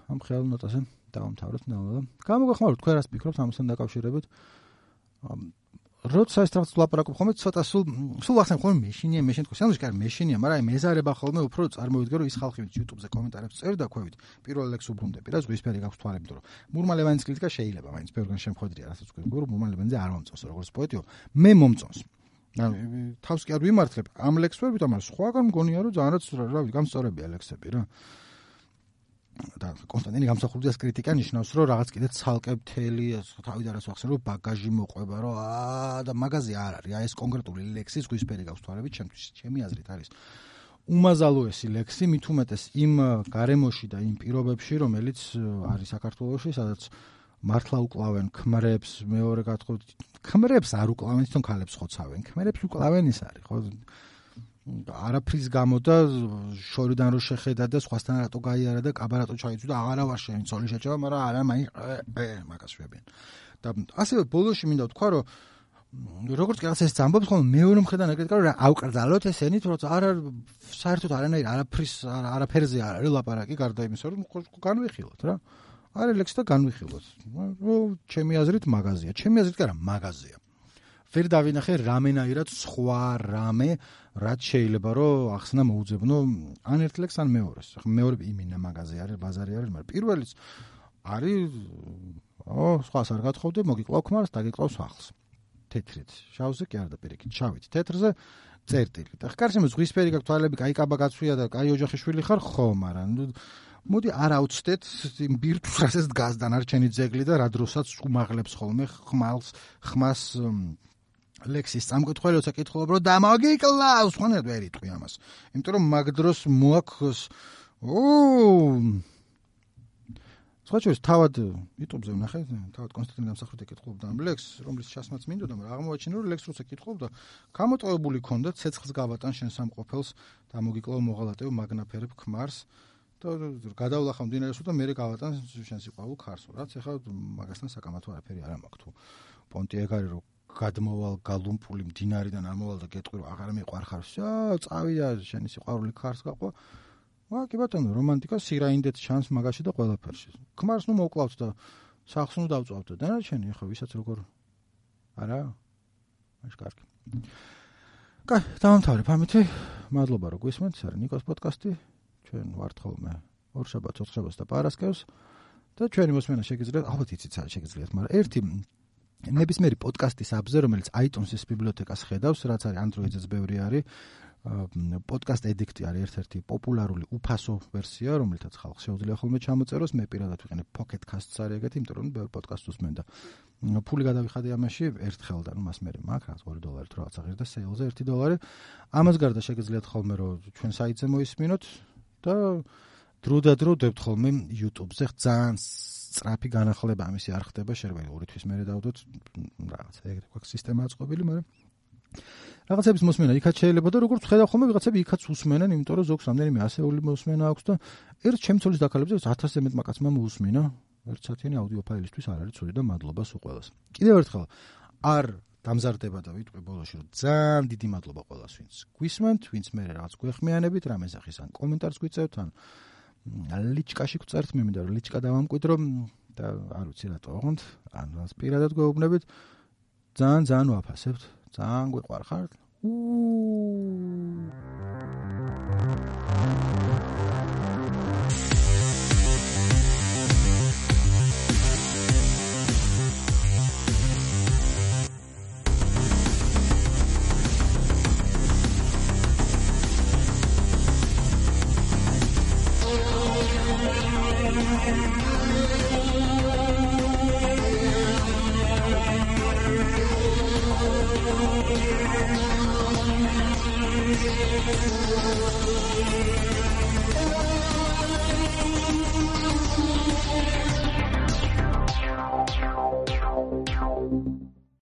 ამ ხელ ნოტაზე დავამთავროთ ნელა. გამოგახმაროთ თქვენ რას ფიქრობთ ამასთან დაკავშირებით. როცა ეს რაღაც ლაპარაკობ ხოლმე ცოტა სულ ახსენ ხოლმე მეშინია თქვა. სანდუჩი კარ მეშინია, მაგრამ აი მეზარება ხოლმე უფრო წარმოვიდგე რომ ის ხალხი ვინც YouTube-ზე კომენტარებს წერდა ქვევით, პირველ ლექს უბრუნდები რა, ზღვისფერი გაქვს თვალები, იმიტომ რომ მურმან ლევანის კრიტიკა შეიძლება მაინც ბევრგან შემხვედრია, რასაც ვქები, რომ მურმან ლევანიძე არ მომწონს როგორც პოეტიო, მე მომწონს. ანუ თავს კი არ ვიმართლებ ამ ლექსს ვერ ვიტყვი, მაგრამ სხვაგან მგონია რომ ძალიანაც რა ვიცი, გამსწორებია ლექსები რა. და კონსტანტინე გამსახურდიას კრიტიკა ნიშნავს რომ რაღაც კიდე ცალკე მთელი თავიდან რას ვახსენ რომ ბაგაჟი მოყვება რომ და მაღაზია არ არის. აი ეს კონკრეტული ლექსი ზღვისფერი გაქვს თვალებით ჩემთვის, ჩემი აზრით არის უმაზალოესი ლექსი, მით უმეტეს იმ გარემოში და იმ პირობებში, რომელიც არის საქართველოში, სადაც მართლა უკლავენ ქმრებს, მეორე გათხოვთ, ქმრებს არ უკლავენ, თვითონ ქალებს ხოცავენ, ქმრებს უკლავენ ის არის, ხო? არაფრის გამო და შორიდან რო შეხედა და სხვასთან რატო გაიარა და კაბარატო ჩაიცვა და აღარა ვარ შენი ცოლი შეჭება, მაგრამ არა მაინც მაგას შვებიან. და ასევე ბოლოში მინდა ვთქვა, რომ როგორც კი რაღაც ეს ამბობს, ხოლმე მეორე მხრიდან ეკრიტიკა რომ ავკრძალოთ ესენი, თორემ არა საერთოდ არაფერზე არ არის ლაპარაკი გარდა იმისა, რომ განვიხილოთ რა. არის ლექსი და განვიხილოთ. ჩემი აზრით მაღაზია. ჩემი აზრით კი არა, მაღაზია. ვერ დავინახე რამენაირად სხვა რამე, რაც შეიძლება რომ ახსნა მოუძებნო ან ერთ ლექსს ან მეორეს. მეორე იმინა მაღაზია არის, ბაზარი არის, მაგრამ პირველიც არის სხვას არ გათხოვდე, მოგიკლავ ქმარს, დაგიკლავს ახალს. თეთრით, შავზე კი არ და პირიქით, შავით. თეთრზე წერტილი. და ხკარშემო ზღვისფერი გაქვს, თვალები კაი კაბა გაცვია და კაი ოჯახის შვილი ხარ, ხო, მაგრამ მოდი არ აუცდეთ იმ ბირთვს, რასაც დგას დანარჩენი ძეგლი და რა დროსაც უმაღლებს ხოლმე ხმას ლექსის სამკითხველი როცა კითხულობ რომ დამოგიკლავს, ხანერ ვერ იტყვი ამას. იმიტომ რომ მაგ დროს მოაქვს სხვაჩვენს თავად YouTube-ზე ვნახე, თავად კონსტანტინე დამსახურდა კითხულობდა ამ ლექსს, რომლის ჩასმაც მინდოდა, მაგრამ აღმოაჩინა რომ ლექსს როცა კითხულობდა, გამოტოვებული ქონდა ცეცხლს გავატან შენ სამყოფელს, დამოგიკლავ მოღალატევ მაგნაფერებ ქმარს და გადავლახავ მდინარეს და მე გავატან შენ სიყვარულ ქარს, რაც ეხლა მაგასთან საკამათო არაფერი არ მაქვს თუ პონტი ეგ არის რომ გადმოვალ გალუმპული მდინარიდან ამოვალ და გეტყვი რომ აღარ მიყვარხარ, წავიდა შენი სიყვარული ქარს გაყვა. კი ბატონო, რომანტიკა სირაინდეთ ჩანს მაგაში და ყველაფერში. ქმარს ნუ მოკლავთ და სახლს ნუ დავწვავთ და დანარჩენი ხო ვისაც როგორ არა? მაშ კარგი. კაი, დავამთავრებ ამით. მადლობა რომ გვისმენთ, ეს არის ნიკოს პოდკასტი. ჩვენ ვართ ხოლმე ორშაბათს, ოთხშაბათს და პარასკევს და ჩვენი მოსმენა შეგიძლიათ, ალბათ იცით რა შეგიძლიათ, მაგრამ ერთი ნებისმიერი პოდკასტის აბზე, რომელიც iTunes-ის ბიბლიოთეკას ხედავს, რაც არის Android-ზეც ბევრი არის. პოდკასტ ედიქტი არის ერთ-ერთი პოპულარული უფასო ვერსია, რომელთაც ხალხს შეუძლია ხოლმე ჩამოწეროს. მე პირადად ვიყენებ Pocket Casts არის ეგეთი, იმიტომ რომ ბევრი პოდკასტს უსმენ და ფული გადავიხადე ამაში ერთხელ და მას მე მაქვს რაც $2 თუ რაღაცა ღირდა სეილზე $1. ამას გარდა შეგიძლიათ ხოლმე რომ ჩვენ საიტზე მოისმინოთ და დრო დებთ ხოლმე YouTube-ზე ძალიან სწრაფი განახლება ამისი არ ხდება, შეიძლება 2 თვის მერე დავდოთ რაღაცა ეგრე გვაქვს სისტემა აწყობილი, მაგრამ რაღაცების მოსმენა იქაც შეიძლება და როგორც ხედავ ხოლმე ვიღაცები იქაც უსმენენ, იმიტომ რომ ზოგს რამდენიმე ასეული მოსმენა აქვს და ერთ ჩემცოლის დაკალებზე 1000-ზე მეტ მაკაცმა მოусმინა. ერთ საათიანი აუდიო ფაილისთვის არ არის ცუდი და მადლობა სულ ყველას. კიდევ ერთხელ არ დამზარდება და ვიტყვი ბოლოში რომ ძალიან დიდი მადლობა ყველას ვინც გვისმენთ, ვინც მე რაღაც გვეხმიანებით, რამე სახის ან კომენტარს გვიწევთ ან ლიჩკაში გვწერთ, მე მინდა რომ ლიჩკა დავამკვიდრო და არ ვიცი რატო ოღონდ ან პირადად გვეუბნებით. ძალიან ვაფასებთ. ძალიან გვიყვარხართ.